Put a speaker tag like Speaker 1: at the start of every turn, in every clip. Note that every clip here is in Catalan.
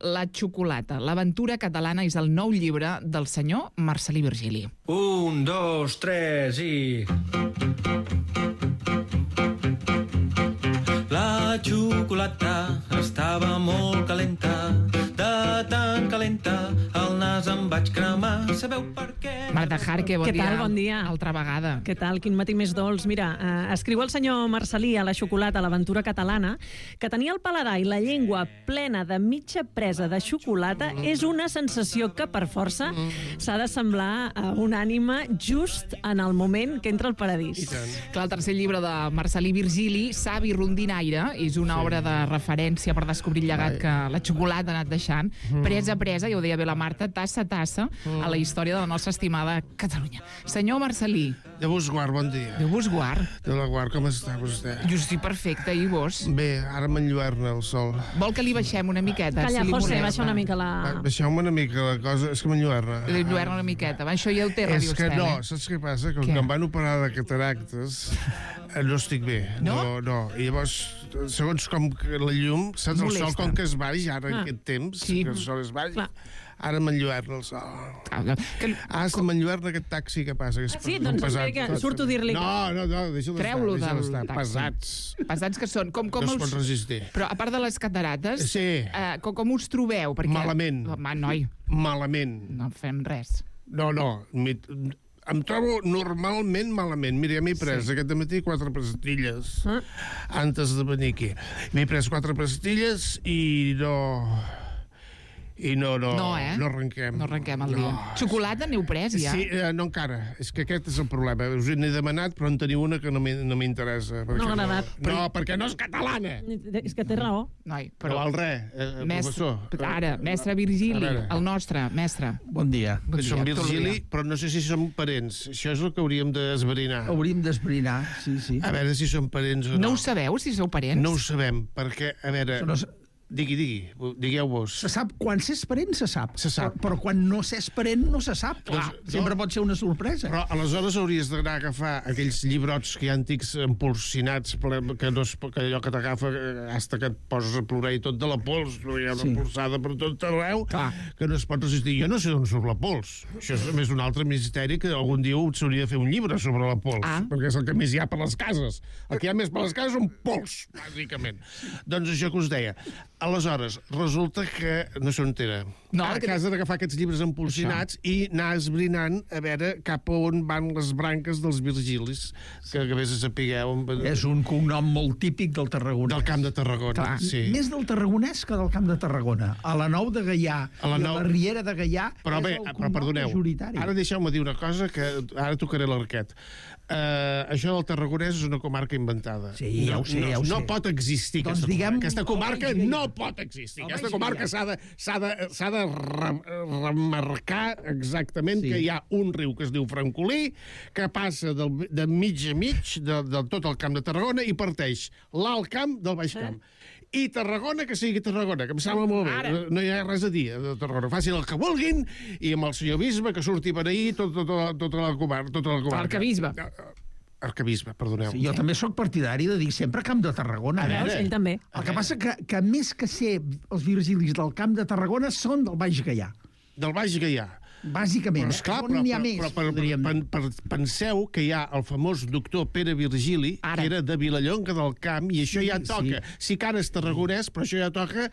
Speaker 1: La xocolata, l'aventura catalana és el nou llibre del senyor Marcel·lí Virgili.
Speaker 2: 1, 2, 3 i... La xocolata estava molt calenta, de tan calenta el nas em vaig cremar. Sabeu per què?
Speaker 1: Marta Jarque, bon
Speaker 3: Què
Speaker 1: dia.
Speaker 3: tal? Bon dia.
Speaker 1: Altra vegada.
Speaker 3: Què tal? Quin matí més dolç. Mira, escriu el senyor Marcel·lí a La xocolata, l'aventura catalana, que tenir el paladar i la llengua plena de mitja presa de xocolata és una sensació que, per força, s'ha de semblar a una ànima just en el moment que entra al paradís.
Speaker 1: Clar, el tercer llibre de Marcel·lí Virgili, Savi Rondinaire, és una obra de referència per descobrir el llegat que la xocolata ha anat deixant, presa a presa, ja ho deia bé la Marta, tassa a tassa, a la història de la nostra estimada Catalunya. Senyor Marcel·lí.
Speaker 4: Déu vos guard, bon dia.
Speaker 1: Déu vos guard.
Speaker 4: Déu la guard, com està vostè?
Speaker 1: Jo estic perfecta, i vos?
Speaker 4: Bé, ara m'enlluerna el sol.
Speaker 1: Vol que li baixem una miqueta?
Speaker 3: Calla,
Speaker 1: si li
Speaker 3: José,
Speaker 1: molesta?
Speaker 3: baixa una mica la...
Speaker 4: Baixeu-me una mica la cosa, és que m'enlluerna.
Speaker 1: Li enlluerna una miqueta. Va, això ja ho té
Speaker 4: És
Speaker 1: Radio
Speaker 4: que
Speaker 1: Estel,
Speaker 4: no, saps què passa? Que
Speaker 1: Què?
Speaker 4: quan em van operar de cataractes no estic bé.
Speaker 1: No?
Speaker 4: No. I llavors, segons com que la llum, saps, el
Speaker 1: Molesta.
Speaker 4: sol com que es baix ara en aquest temps,
Speaker 1: Sí.
Speaker 4: que el sol es baix,
Speaker 3: Clar.
Speaker 4: ara m'enlluerna el sol.
Speaker 1: Que...
Speaker 4: Se m'enlluerna aquest taxi que passa. Que és
Speaker 3: Sí, doncs
Speaker 4: pesat.
Speaker 3: que surto a dir-li que-
Speaker 4: No, deixa'l estar.
Speaker 1: Treu-lo
Speaker 4: deixa'l
Speaker 1: del
Speaker 4: estar.
Speaker 1: taxi.
Speaker 4: Pesats.
Speaker 1: Pesats que són. Com
Speaker 4: No es pot
Speaker 1: us...
Speaker 4: resistir.
Speaker 1: Però a part de les catarates,
Speaker 4: Sí.
Speaker 1: com us trobeu? Perquè...
Speaker 4: Malament.
Speaker 1: Home, noi,
Speaker 4: Malament.
Speaker 1: no fem res.
Speaker 4: No. Em trobo normalment malament. Mira, ja m'he pres aquest matí 4 pastilles antes de venir aquí. M'he pres 4 pastilles i no arrenquem.
Speaker 1: No arrenquem el dia. Xocolata n'heu pres, ja?
Speaker 4: Sí, no encara. És que aquest és el problema. Us n'he demanat, però en teniu una que no m'interessa.
Speaker 3: No ha agradat.
Speaker 4: No, perquè no és catalana.
Speaker 3: És que té raó.
Speaker 1: Noi,
Speaker 4: Però val res,
Speaker 1: mestre,
Speaker 4: professor.
Speaker 1: ara, mestre Virgili,
Speaker 4: A veure.
Speaker 1: el nostre, mestre.
Speaker 5: Bon dia.
Speaker 4: Som
Speaker 1: dia,
Speaker 4: Virgili,
Speaker 1: tot
Speaker 4: però no sé si som parents. Això és el que hauríem d'esbrinar.
Speaker 5: Hauríem d'esbrinar, sí.
Speaker 4: A veure si som parents o no.
Speaker 1: No ho sabeu, si sou parents?
Speaker 4: No ho sabem, perquè, a veure... Digueu-vos.
Speaker 5: Se sap, quan s'és parent se sap.
Speaker 4: Se sap.
Speaker 5: Però quan no s'és parent no se sap.
Speaker 4: Clar,
Speaker 5: Sempre pot ser una sorpresa.
Speaker 4: Però aleshores hauries d'anar a agafar aquells llibrots que hi ha antics empolsinats, que allò que t'agafa hasta que et poses a plorar i tot de la pols, hi ha una polsada per tot arreu, que no es pot resistir. Jo no sé on surt la pols. Això és més un altre misteri que algun dia s'hauria de fer un llibre sobre la pols, perquè és el que més hi ha per les cases. El que hi ha més per les cases són pols, bàsicament. Doncs això que us deia. Aleshores, resulta que no sé on era.
Speaker 1: No,
Speaker 4: a casa d'agafar aquests llibres empolsinats i anar esbrinant a veure cap a on van les branques dels Virgilis, que a vegades sapigueu...
Speaker 5: És un cognom molt típic del Tarragona.
Speaker 4: Del Camp de Tarragona, sí.
Speaker 5: Més del tarragonès que del Camp de Tarragona. A la Nou de Gaià i a la Riera de Gaià
Speaker 4: però bé,
Speaker 5: és el
Speaker 4: però
Speaker 5: cognom
Speaker 4: perdoneu,
Speaker 5: majoritari.
Speaker 4: ara deixeu-me dir una cosa que ara tocaré l'arquet. Això del Tarragonès és una comarca inventada.
Speaker 5: Sí, ja ho sé.
Speaker 4: No pot existir
Speaker 5: Doncs
Speaker 4: aquesta comarca no pot existir. Aquesta comarca s'ha de remarcar exactament que hi ha un riu que es diu Francolí, que passa de mig a mig de tot el Camp de Tarragona i parteix l'Alt Camp del Baix Camp. I Tarragona, que sigui Tarragona, que em sembla molt bé. No hi ha res a dir de Tarragona. Facin el que vulguin i amb el senyor bisbe que surti per ahir tota la comarca.
Speaker 1: Arquebisbe.
Speaker 4: Arquebisbe, perdoneu.
Speaker 5: Sí, jo també sóc partidari de dir sempre Camp de Tarragona.
Speaker 3: Ell també.
Speaker 5: El que passa que més que ser els Virgilis del Camp de Tarragona són del Baix Gaià.
Speaker 4: Del Baix Gaià.
Speaker 5: Bàsicament,
Speaker 4: esclar,
Speaker 5: on n'hi ha més, podríem dir.
Speaker 4: Penseu que hi ha el famós doctor Pere Virgili, que era de Vilallonga del Camp, i això ja toca. Sí que ara és tarragonès, però això ja toca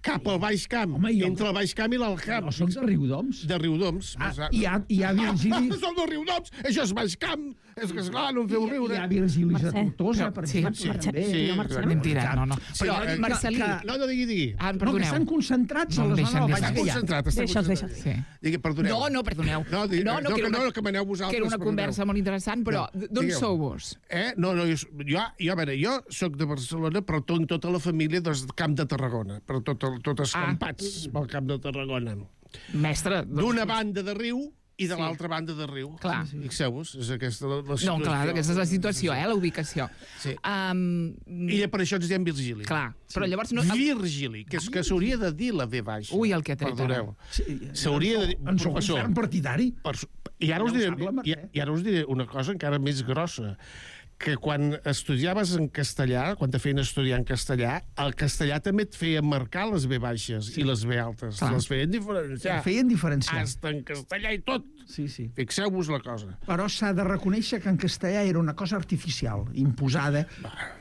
Speaker 4: cap al Baix Camp, entre el Baix Camp i l'Alt Camp.
Speaker 5: No, soc de Riudoms.
Speaker 4: De Riudoms.
Speaker 5: Hi ha Virgilis...
Speaker 4: Som de Riudoms, això és Baix Camp. És que, esclar, no em feu riure.
Speaker 5: Hi ha Virgilis de Tortosa, per exemple.
Speaker 1: Mentira, no. Però, Marcel·lí...
Speaker 4: No, digui.
Speaker 5: No, que estan concentrats a la zona del Baix Gaià.
Speaker 3: Deixa'ls.
Speaker 4: Perdoneu.
Speaker 1: No, perdoneu.
Speaker 4: No, que maneu vosaltres.
Speaker 1: Que era una conversa molt interessant, però d'on sou vos?
Speaker 4: No, jo soc de Barcelona, però tinc tota la família del Camp de Tarragona, però tot escampats pel Camp de Tarragona.
Speaker 1: Mestre...
Speaker 4: D'una banda de riu i de l'altra banda de riu.
Speaker 1: Clar.
Speaker 4: Fixeu-vos, és aquesta la situació.
Speaker 1: No, clar, aquesta és la situació, la ubicació.
Speaker 4: Sí. I per això ens diem Virgili.
Speaker 1: Clar, però llavors...
Speaker 4: Virgili, que s'hauria de dir la V baixa.
Speaker 1: Ui, el que ha tret.
Speaker 4: Perdoneu. S'hauria de dir...
Speaker 5: En sou un ferm partidari.
Speaker 4: I ara us diré una cosa encara més grossa, que quan estudiaves en castellà, quan te feien estudiar en castellà, el castellà també et feia marcar les B baixes i les B altes. Les feien diferenciar.
Speaker 5: Feien diferenciar.
Speaker 4: Hasta en castellà i tot.
Speaker 5: Sí.
Speaker 4: Fixeu-vos la cosa.
Speaker 5: Però s'ha de reconèixer que en castellà era una cosa artificial, imposada.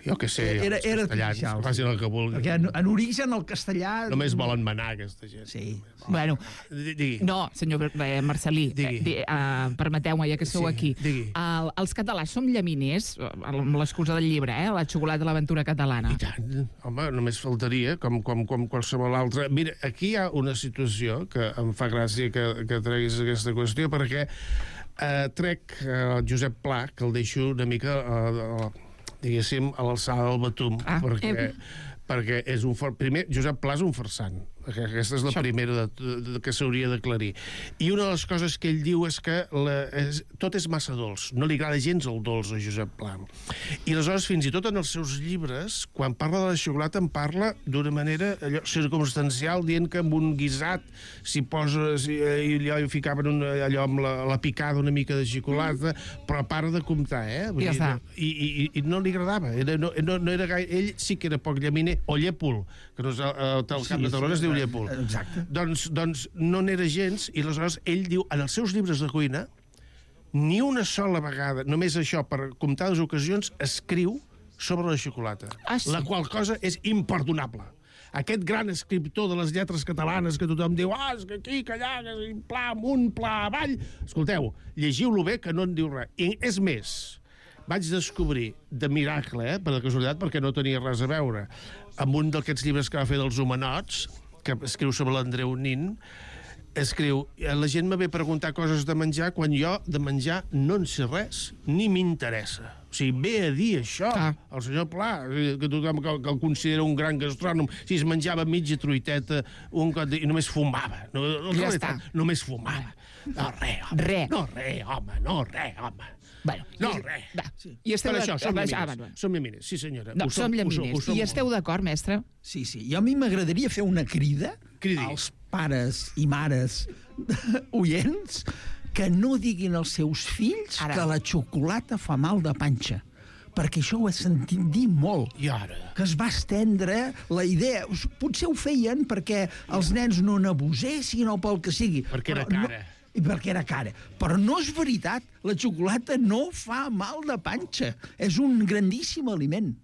Speaker 4: Jo què sé,
Speaker 5: Era
Speaker 4: els castellans,
Speaker 5: artificial.
Speaker 4: que facin el que vulguin.
Speaker 5: Perquè en origen el castellà...
Speaker 4: Només volen manar, aquesta gent.
Speaker 5: Sí.
Speaker 1: Bueno,
Speaker 4: Digui.
Speaker 1: no, senyor Marcelí, permeteu-me, ja que sou aquí.
Speaker 4: Digui.
Speaker 1: Els catalans som llaminers, amb l'excusa del llibre, la xocolata de l'aventura catalana.
Speaker 4: I tant, home, només faltaria, com qualsevol altra. Mira, aquí hi ha una situació que em fa gràcia que treguis aquesta qüestió, perquè trec el Josep Pla, que el deixo una mica, diguéssim, a l'alçada del Batum, perquè és un primer, Josep Pla és un farsant. Aquesta és la primera que s'hauria d'aclarir. I una de les coses que ell diu és que tot és massa dolç. No li agrada gens el dolç a Josep Pla. I aleshores, fins i tot en els seus llibres, quan parla de la xocolata, en parla d'una manera circumstancial, dient que amb un guisat s'hi posa... I allò hi ficaven allò amb la picada una mica de xocolata, però para de comptar,
Speaker 1: I ja està.
Speaker 4: I no li agradava. No era gaire... Ell sí que era poc llaminer, o llèpol, que no és el Camp de Tarragona es diu llèpol.
Speaker 5: Exacte.
Speaker 4: Doncs no n'era gens, i aleshores ell diu, en els seus llibres de cuina, ni una sola vegada, només això, per comptades ocasions, escriu sobre la xocolata.
Speaker 1: Sí.
Speaker 4: La qual cosa és imperdonable. Aquest gran escriptor de les lletres catalanes que tothom diu, és que aquí, que allà, que pla amunt, pla avall... Escolteu, llegiu-lo bé, que no en diu res. I és més, vaig descobrir de miracle, per la casualitat, perquè no tenia res a veure, amb un d'aquests llibres que va fer dels homenots, que escriu sobre l'Andreu Nin, escriu, la gent me ve a preguntar coses de menjar quan jo de menjar no en sé res, ni m'interessa. O sigui, ve a dir això, el senyor Pla, que tothom que el considera un gran gastrònom, si es menjava mitja truiteta i només fumava.
Speaker 1: Ja està.
Speaker 4: Només fumava. No, res, home.
Speaker 1: Bueno,
Speaker 4: res.
Speaker 1: I esteu
Speaker 4: Per això, som
Speaker 1: llaminers.
Speaker 4: Som llaminers, sí senyora.
Speaker 1: No, som llaminers. I esteu d'acord, mestre?
Speaker 5: Sí. Jo a mi m'agradaria fer una crida
Speaker 4: Cridi.
Speaker 5: als pares i mares oients que no diguin als seus fills que la xocolata fa mal de panxa. Perquè això ho he sentit dir molt.
Speaker 4: I ara?
Speaker 5: Que es va estendre la idea. Potser ho feien perquè els nens no n'abusessin o pel que sigui.
Speaker 4: Perquè era cara.
Speaker 5: Perquè era cara. Però no és veritat. La xocolata no fa mal de panxa. És un grandíssim aliment.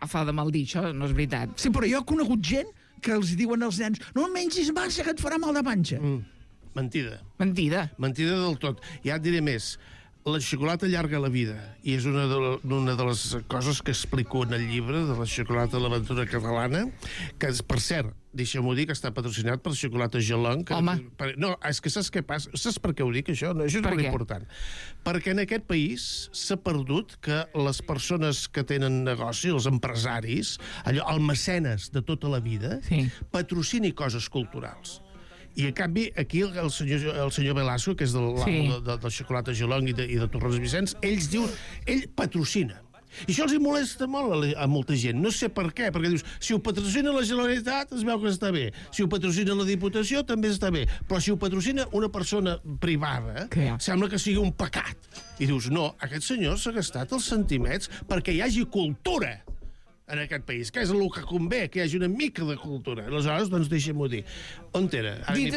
Speaker 1: Fa de mal dir, això no és veritat.
Speaker 5: Sí, però jo he conegut gent que els diuen als nens no mengis massa, que et farà mal de panxa.
Speaker 4: Mentida.
Speaker 1: Mentida.
Speaker 4: Mentida del tot. Ja et diré més. La xocolata allarga la vida, i és una de les coses que explico en el llibre de la xocolata de l'aventura catalana, que, per cert, deixa'm-ho dir, que està patrocinat per Xocolata Gelong.
Speaker 1: Home.
Speaker 4: No, és que saps què passa? Saps per què ho dic, això? No, això és molt important. Perquè en aquest país s'ha perdut que les persones que tenen negoci, els empresaris, allò, el mecenes de tota la vida, patrocini coses culturals. I, en canvi, aquí el senyor Velasco, que és del Xocolata Gelong i de Torrons Vicenç, ell patrocina. I això els molesta molt a molta gent. No sé per què, perquè dius, si ho patrocina la Generalitat, es veu que està bé. Si ho patrocina la Diputació, també està bé. Però si ho patrocina una persona privada, sembla que sigui un pecat. I dius, no, aquest senyor s'ha gastat els centimets perquè hi hagi cultura en aquest país, que és el que convé, que hi hagi una mica de cultura. Aleshores, doncs, deixem-ho dir. On era?
Speaker 1: Dit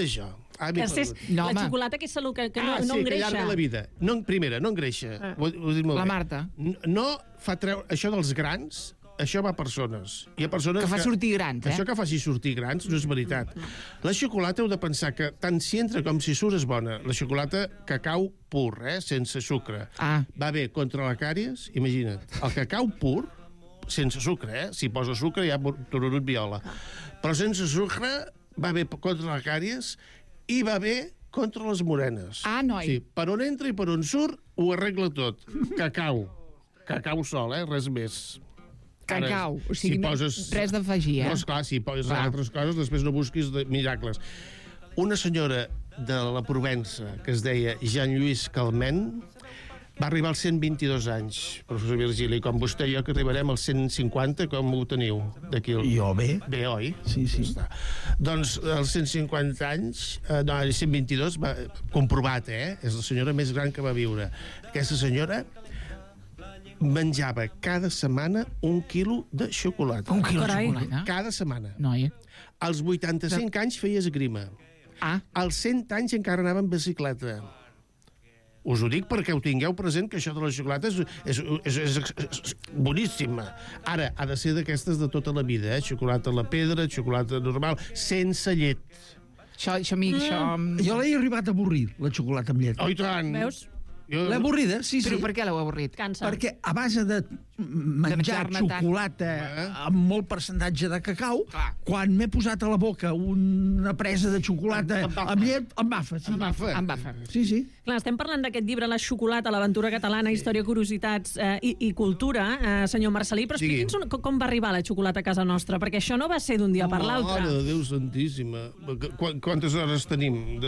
Speaker 1: això.
Speaker 3: La xocolata, que és salut, que no engreixa.
Speaker 4: Que allarga la vida. Primera, no engreixa.
Speaker 1: La Marta.
Speaker 4: No fa treure... Això dels grans, això va a persones. Hi ha persones
Speaker 1: que fa sortir grans,
Speaker 4: Això que faci sortir grans no és veritat. La xocolata heu de pensar que tant si entra com si surt és bona. La xocolata cacau pur, sense sucre. Va bé contra la càries, imagina't. El cacau pur, sense sucre, si posa sucre ja tururut viola. Però sense sucre va bé contra la càries i va bé contra les morenes.
Speaker 1: Noi.
Speaker 4: Sí, per on entra i per on surt ho arregla tot. Cacau. Cacau sol, res més.
Speaker 1: Cacau, o sigui, res d'afegir,
Speaker 4: No, esclar, si poses altres coses, després no busquis miracles. Una senyora de la Provença, que es deia Jean-Lluís Calment, va arribar als 122 anys, professor Virgili, com vostè i jo, que arribarem als 150, com ho teniu?
Speaker 5: Jo bé.
Speaker 4: Bé, oi?
Speaker 5: Sí.
Speaker 4: Doncs als 150 anys, no, als 122, comprovat, és la senyora més gran que va viure. Aquesta senyora menjava cada setmana 1 quilo de xocolata.
Speaker 1: 1 quilo de
Speaker 3: Carai.
Speaker 1: xocolata?
Speaker 4: Cada setmana.
Speaker 1: Noi.
Speaker 4: Als 85 anys feia esgrima. Als 100 anys encara anava en bicicleta. Us ho dic perquè ho tingueu present, que això de la xocolata és boníssima. Ara, ha de ser d'aquestes de tota la vida, xocolata a la pedra, xocolata normal, sense llet.
Speaker 1: Això a mi...
Speaker 5: Jo l'he arribat a avorrir, la xocolata amb llet.
Speaker 4: Oh, i tant!
Speaker 3: Veus?
Speaker 5: L'he avorrida, sí.
Speaker 1: Però per què l'heu avorrit?
Speaker 3: Cansa.
Speaker 5: Perquè a base de menjar
Speaker 1: menjar-ne
Speaker 5: xocolata amb molt percentatge de cacau, quan m'he posat a la boca una presa de xocolata amb llet, em bafa. Sí.
Speaker 1: Em bafa.
Speaker 5: Sí.
Speaker 3: Clar, estem parlant d'aquest llibre, La xocolata, l'aventura catalana, història, curiositats i cultura, senyor Marcelí, però expliqui'ns com va arribar la xocolata a casa nostra, perquè això no va ser d'un dia per l'altre.
Speaker 4: Mare de Déu santíssima. Quantes hores tenim?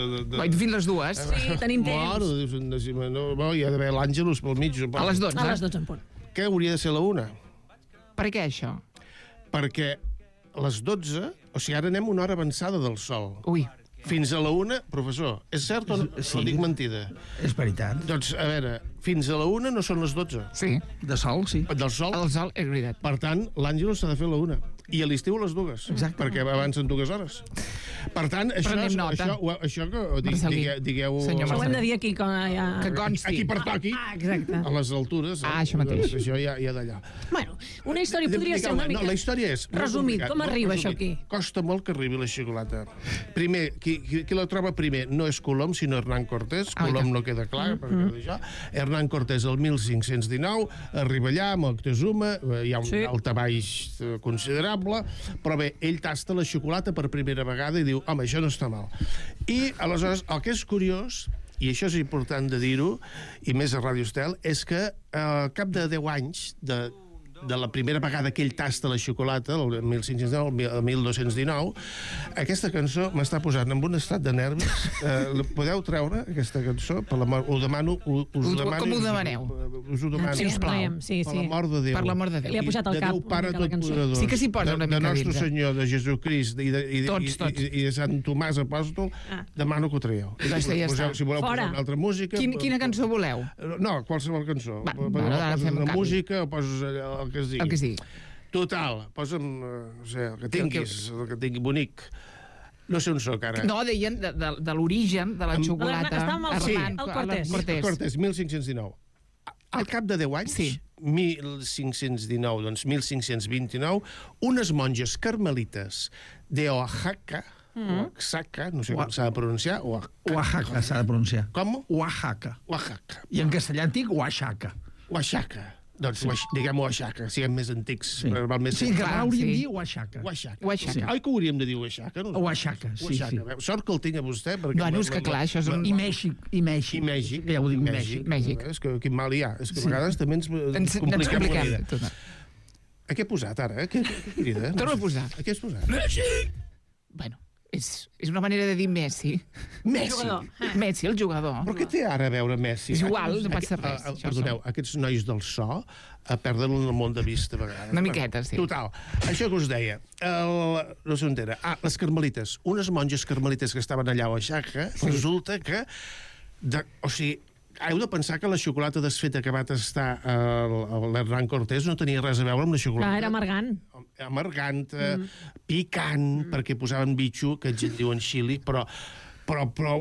Speaker 1: Fins les 2.
Speaker 3: Sí, tenim temps.
Speaker 4: Mare de Déu santíssima. No, hi ha d'haver l'Àngelus pel mig.
Speaker 1: A les 12.
Speaker 3: A les 12 en punt.
Speaker 4: Què hauria de ser la 1?
Speaker 1: Per què això?
Speaker 4: Perquè a les 12, o sigui, ara anem una hora avançada del sol.
Speaker 1: Ui.
Speaker 4: Fins a la 1, professor, és cert o no?
Speaker 5: Sí.
Speaker 4: O dic mentida?
Speaker 5: És veritat.
Speaker 4: Doncs, a veure, fins a la 1 no són les 12.
Speaker 1: Sí.
Speaker 5: De sol, sí.
Speaker 4: Del sol.
Speaker 1: El sol, és veritat.
Speaker 4: Per tant, l'Àngelus s'ha de fer a la 1. I a l'estiu a les 2.
Speaker 5: Exacte.
Speaker 4: Perquè avancen 2 hores. Per tant, això que digueu...
Speaker 1: Senyor
Speaker 3: Això ho hem de dir aquí.
Speaker 1: Que consti.
Speaker 4: Aquí per toqui.
Speaker 3: Exacte.
Speaker 4: A les altures.
Speaker 1: Això mateix.
Speaker 4: Això ja d'allà.
Speaker 3: Bueno, una història podria ser una mica...
Speaker 4: No, la història és...
Speaker 3: Resumit, com arriba això aquí?
Speaker 4: Costa molt que arribi la xocolata. Primer, qui la troba primer no és Colom, sinó Hernán Cortés. Colom no queda clar, perquè això. Hernán Cortés, el 1519, arriba allà amb Moctezuma, hi ha un daltabaix considerable, però bé, ell tasta la xocolata per primera vegada i diu, home, això no està mal. I, aleshores, el que és curiós, i això és important de dir-ho, i més a Ràdio Estel, és que al cap de 10 anys de la primera vegada que ell tasta la xocolata, el 1519, el 1219, aquesta cançó m'està posant en un estat de nervis. Podeu treure aquesta cançó? Per l'amor, ho demano...
Speaker 1: Com ho demaneu?
Speaker 4: Us ho demano.
Speaker 1: Sisplau.
Speaker 3: Sí.
Speaker 4: Per l'amor de Déu.
Speaker 1: Per l'amor de Déu.
Speaker 3: Li ha pujat al cap
Speaker 4: Déu Pare
Speaker 3: una mica la cançó.
Speaker 4: Totpoderós.
Speaker 1: Sí que s'hi posa una mica
Speaker 4: de Nostre
Speaker 1: dintre.
Speaker 4: Senyor, de Jesucrist i de Sant Tomàs Apòstol, demano que ho traieu.
Speaker 1: Doncs ja està.
Speaker 4: Si voleu posar una altra música...
Speaker 1: Quina cançó voleu?
Speaker 4: No, qualsevol cançó.
Speaker 1: Ara fem un
Speaker 4: una
Speaker 1: canvi.
Speaker 4: música o poses el que es digui.
Speaker 1: El que es digui.
Speaker 4: Total, posa'm, no sé, el que tinguis, el que tingui bonic. No sé on soc ara.
Speaker 1: No, deien de l'origen de la xocolata.
Speaker 3: Estàvem al Cortés.
Speaker 4: Cortés, 1519. Al cap de 10 anys, 1519, doncs 1529, unes monges carmelites de Oaxaca, Oaxaca, no sé com s'ha de pronunciar,
Speaker 5: Oaxaca s'ha de pronunciar.
Speaker 4: Com?
Speaker 5: Oaxaca.
Speaker 4: Oaxaca.
Speaker 5: I en castellà antic, Oaxaca.
Speaker 4: Oaxaca. Doncs diguem Oaxaca, siguem més antics.
Speaker 5: Sí, clar, hauríem de dir Oaxaca.
Speaker 4: Oaxaca. Oi que hauríem de dir Oaxaca?
Speaker 5: Oaxaca, sí.
Speaker 4: Sort que el tinc a vostè.
Speaker 1: Bueno, és que clar, això és un...
Speaker 5: I Mèxic. Ja ho dic, Mèxic.
Speaker 4: És que quin mal hi ha. És que a vegades també ens compliquem la vida. A què he posat ara? Què crida?
Speaker 1: Torna a posar.
Speaker 4: A què has posat?
Speaker 1: Mèxic! Bueno, és una manera de dir Messi. Messi, el jugador.
Speaker 4: Però què té ara a veure Messi?
Speaker 1: És igual, no passa res.
Speaker 4: Perdoneu, aquests nois del so perden el món de vista a vegades.
Speaker 1: Una miqueta, sí.
Speaker 4: Total. Això que us deia, no sé on era. Les carmelites. Unes monges carmelites que estaven allà a Oaxaca, resulta que... O sigui, heu de pensar que la xocolata desfeta que va tastar l'Hernán Cortés no tenia res a veure amb la xocolata.
Speaker 3: Clar, era amargant.
Speaker 4: Amargant, picant, perquè posaven bitxo, que ells en diuen xili, però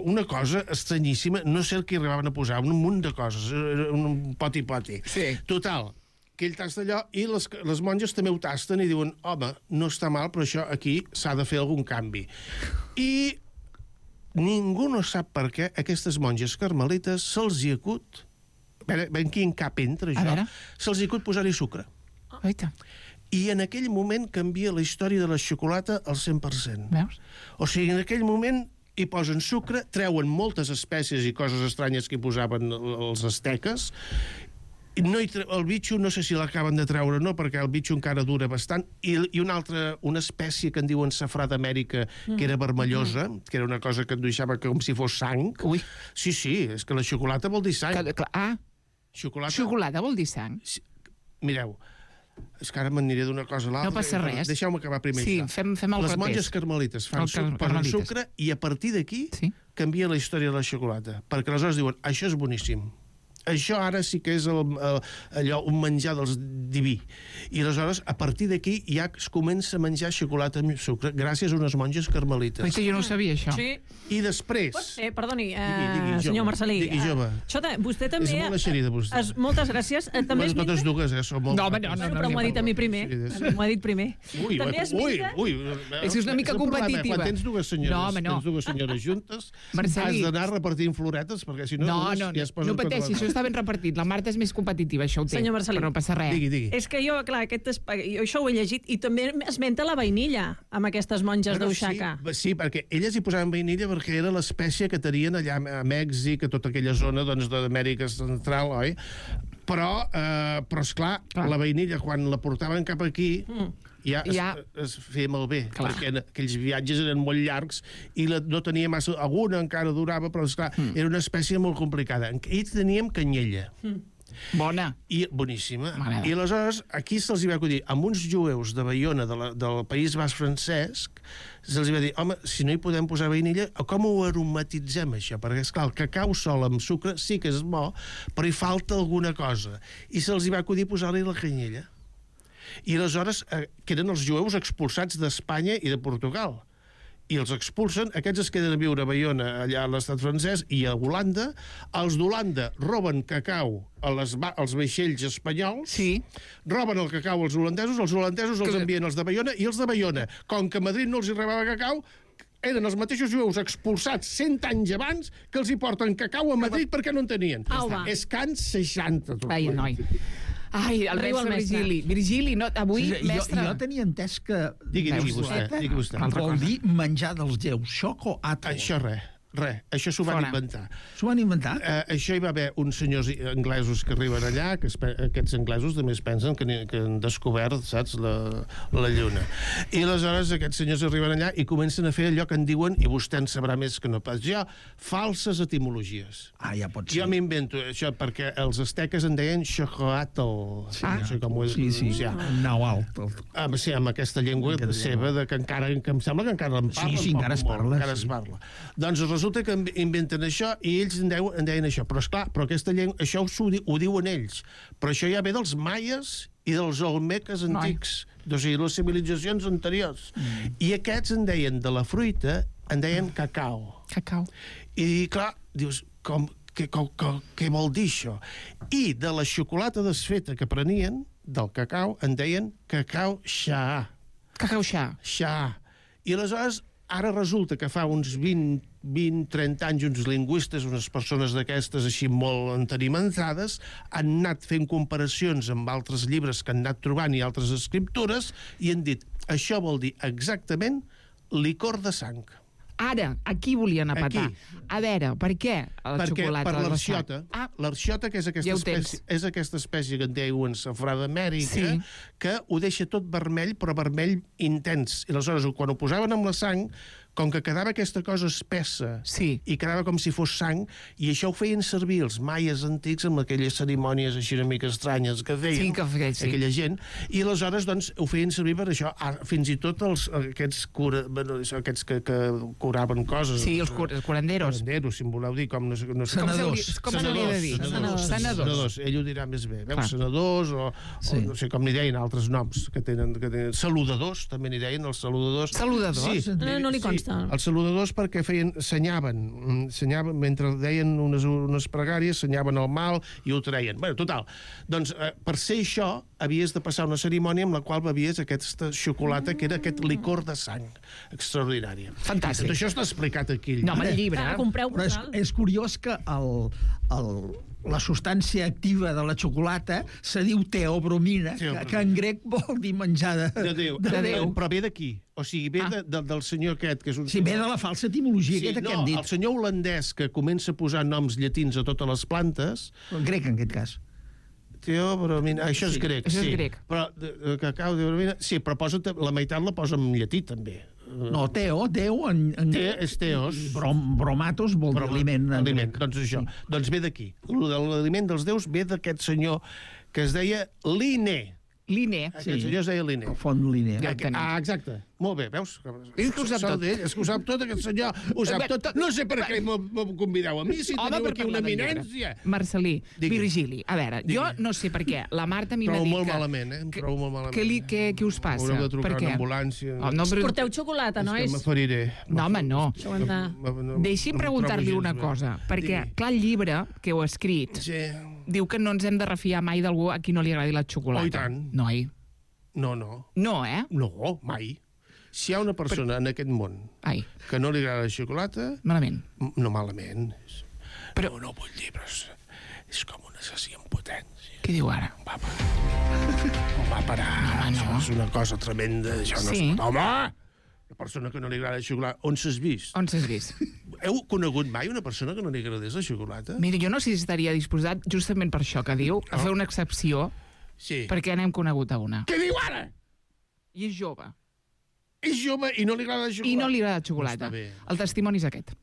Speaker 4: una cosa estranyíssima, no sé el que arribaven a posar, un munt de coses, un poti-poti.
Speaker 1: Sí.
Speaker 4: Total, que ell tasta allò i les monges també ho tasten i diuen, home, no està mal, però això aquí s'ha de fer algun canvi. I ningú no sap per què aquestes monges carmelites se'ls hi acut, ben quin cap entra això, se'ls hi acut posar-hi sucre.
Speaker 1: Oita.
Speaker 4: I en aquell moment canvia la història de la xocolata al 100%.
Speaker 1: Veus?
Speaker 4: O sigui, en aquell moment hi posen sucre, treuen moltes espècies i coses estranyes que hi posaven els asteques. El bitxo no sé si l'acaben de treure o no, perquè el bitxo encara dura bastant, i una espècie que en diuen safrà d'Amèrica, que era vermellosa, que era una cosa que et deixava com si fos sang.
Speaker 1: Ui.
Speaker 4: Sí, és que la xocolata vol dir sang.
Speaker 1: Xocolata vol dir sang.
Speaker 4: Mireu, és que ara m'aniré d'una cosa a l'altra.
Speaker 1: No passa res.
Speaker 4: Deixeu-me acabar primer.
Speaker 1: Sí, fem el
Speaker 4: Les
Speaker 1: repès.
Speaker 4: monges carmelites posen sucre i a partir d'aquí canvia la història de la xocolata. Perquè aleshores diuen, això és boníssim. Això ara sí que és allò, un menjar dels diví. I aleshores, a partir d'aquí, ja es comença a menjar xocolata amb sucre gràcies a unes monges carmelites.
Speaker 1: Però jo no ho sabia, això.
Speaker 3: Sí.
Speaker 4: I després...
Speaker 3: Perdoni,
Speaker 4: digui,
Speaker 3: senyor Marcelí.
Speaker 4: Digui, jove.
Speaker 3: Vostè també...
Speaker 4: És molt eixerida, vostè.
Speaker 3: Moltes gràcies. També
Speaker 4: Bueno, totes dues, són molt...
Speaker 1: No, home, no.
Speaker 3: Però m'ho ha dit a mi primer. M'ho ha dit primer.
Speaker 4: Ui,
Speaker 1: És una mica competitiva.
Speaker 4: Quan tens dues senyores juntes,
Speaker 1: Marcelí.
Speaker 4: has d'anar repartint floretes, perquè si no...
Speaker 1: No pateixi, això està ben repartit. La Marta és més competitiva, això ho té.
Speaker 3: Senyor Marcelí.
Speaker 1: Però no passa res.
Speaker 4: Digui.
Speaker 3: És que jo, clar, jo això ho he llegit i també esmenta la vainilla amb aquestes monges d'Oaxaca.
Speaker 4: Sí, perquè elles hi posaven vainilla perquè era l'espècie que tenien allà a Mèxic, a tota aquella zona d'Amèrica Central, oi? Però esclar, la vainilla, quan la portaven cap aquí... Ja es feia malbé, perquè aquells viatges eren molt llargs i no tenia massa... Alguna encara durava, però, esclar, era una espècie molt complicada. Ells teníem canyella.
Speaker 1: Bona.
Speaker 4: I boníssima. I aleshores, aquí se'ls va acudir, amb uns jueus de Baiona, del País Basc francesc, se'ls va dir, home, si no hi podem posar vainilla, com ho aromatitzem, això? Perquè, esclar, el cacau sol amb sucre sí que és bo, però hi falta alguna cosa. I se'ls va acudir posar-li la canyella. I aleshores, que eren els jueus expulsats d'Espanya i de Portugal. I els expulsen, aquests es queden a viure a Baiona, allà a l'estat francès, i a Holanda. Els d'Holanda roben cacau als vaixells espanyols, roben el cacau als holandesos els envien als de Baiona, i els de Baiona, com que a Madrid no els hi rebava cacau, eren els mateixos jueus expulsats 100 anys abans que els hi porten cacau a Madrid perquè no en tenien. És Can 60.
Speaker 1: Ai, noi. Ai, el mestre Virgili. Virgili, no, avui, mestre...
Speaker 5: Jo tenia entès que...
Speaker 4: Digui vostè.
Speaker 5: Vol dir menjar dels déus, xoco atl.
Speaker 4: Això això s'ho van inventar.
Speaker 5: S'ho van inventar?
Speaker 4: Això hi va haver uns senyors anglesos que arriben allà, que aquests anglesos també es pensen que han descobert, saps, la lluna. I aleshores aquests senyors arriben allà i comencen a fer allò que en diuen, i vostè en sabrà més que no pas jo, falses etimologies.
Speaker 5: Ja pot ser.
Speaker 4: Jo m'invento això perquè els asteques en deien xocoatl. No sé com ho he de pronunciar.
Speaker 5: Naualt.
Speaker 4: Sí, amb aquesta llengua seva, que encara, que em sembla que encara en parla.
Speaker 5: Sí, encara es parla.
Speaker 4: Encara es parla. Doncs resulta que inventen això i ells en deien això. Però, esclar, aquesta llengua, això ho diuen ells. Però això ja ve dels maies i dels olmeques antics. O sigui, les civilitzacions anteriors. I aquests en deien de la fruita, en deien cacau. I, clar, dius, què vol dir això? I de la xocolata desfeta que prenien, del cacau, en deien cacau xa.
Speaker 1: Cacau xa.
Speaker 4: I aleshores, ara resulta que fa uns 20-30 anys uns lingüistes, unes persones d'aquestes així molt entenimentades, han anat fent comparacions amb altres llibres que han anat trobant i altres escriptures i han dit, això vol dir exactament licor de sang.
Speaker 1: Ara, aquí volien apatar. A veure, per què la xocolata?
Speaker 4: Per l'arxiota. L'arxiota, que és aquesta espècie que en diuen safrà d'Amèrica, que ho deixa tot vermell, però vermell intens. I aleshores, quan ho posaven amb la sang, com que quedava aquesta cosa espessa i quedava com si fos sang, i això ho feien servir els maies antics amb aquelles cerimònies així una mica estranyes que feien aquella gent, i aleshores doncs ho feien servir per això. Fins i tot aquests que curaven coses.
Speaker 1: Sí, els curanderos.
Speaker 4: Curanderos, si em voleu dir, com no sé...
Speaker 5: Senadors.
Speaker 1: Com s'hauria de dir?
Speaker 4: Senadors. Ell ho dirà més bé. Senadors, o no sé com n'hi deien altres noms que tenen. Saludadors, també n'hi deien, els saludadors.
Speaker 1: Saludadors?
Speaker 3: No li consta.
Speaker 4: Els saludadors perquè senyaven, mentre deien unes pregàries, senyaven el mal i ho treien. Bé, total. Doncs per ser això havies de passar una cerimònia amb la qual bevies aquesta xocolata que era aquest licor de sang extraordinària.
Speaker 1: Fantàstic.
Speaker 4: Tot això està explicat aquí.
Speaker 1: No, amb el llibre.
Speaker 5: Però és curiós que la substància activa de la xocolata se diu teobromina, que en grec vol dir menjar de Déu.
Speaker 4: Però ve d'aquí. O sigui, ve del senyor aquest, que és un...
Speaker 5: Sí, ve de la falsa etimologia aquesta que hem dit.
Speaker 4: El senyor holandès que comença a posar noms llatins a totes les plantes...
Speaker 5: En grec, en aquest cas.
Speaker 4: Teobromina, això és grec,
Speaker 1: sí. Això és grec.
Speaker 4: Però cacau, teobromina... Sí, però la meitat la posa en llatí, també.
Speaker 5: No, Déu
Speaker 4: és teos.
Speaker 5: Bromatos vol dir aliment.
Speaker 4: Doncs això. Doncs ve d'aquí. L'aliment dels déus ve d'aquest senyor que es deia Linné.
Speaker 1: Linné.
Speaker 4: Aquest senyor es deia Linné.
Speaker 5: Font Linné.
Speaker 4: Exacte. Molt bé, veus?
Speaker 1: És que ho sap tot.
Speaker 4: És que ho sap tot, aquest senyor. Ho sap tot. No sé per què m'ho convideu a mi, si teniu aquí una eminència.
Speaker 1: Marcelí, Virgili, a veure, jo no sé per què. La Marta a mi m'ha dit que...
Speaker 4: Trobo molt malament, Em trobo molt malament.
Speaker 1: Què us passa?
Speaker 4: Haureu de trucar a una ambulància.
Speaker 3: Porteu xocolata, nois?
Speaker 4: És que m'aferiré.
Speaker 1: No, home, no. Deixi'm preguntar-li una cosa, perquè, clar, el llibre que heu escrit diu que no ens hem de refiar mai d'algú a qui no li agradi la xocolata.
Speaker 4: Oh, i tant.
Speaker 1: Noi.
Speaker 4: No.
Speaker 1: No,
Speaker 4: No, mai. Si hi ha una persona en aquest món que no li agrada la xocolata...
Speaker 1: Malament.
Speaker 4: No malament. Però no vull dir, però és com un assassí en potència.
Speaker 1: Què diu ara?
Speaker 4: Va parar.
Speaker 1: No.
Speaker 4: Això és una cosa tremenda. Això no
Speaker 1: Sí.
Speaker 4: es pot... Home! Una persona que no li agrada la xocolata... On s'has vist?
Speaker 1: On s'has vist?
Speaker 4: Heu conegut mai una persona que no li agradés la xocolata?
Speaker 1: Mira, jo no sé si estaria disposat, justament per això que diu, a fer una excepció, perquè n'hem conegut a una.
Speaker 4: Què diu ara?
Speaker 1: I és jove.
Speaker 4: És jove i no li agrada la xocolata.
Speaker 1: I no li agrada la xocolata. El testimoni és aquest.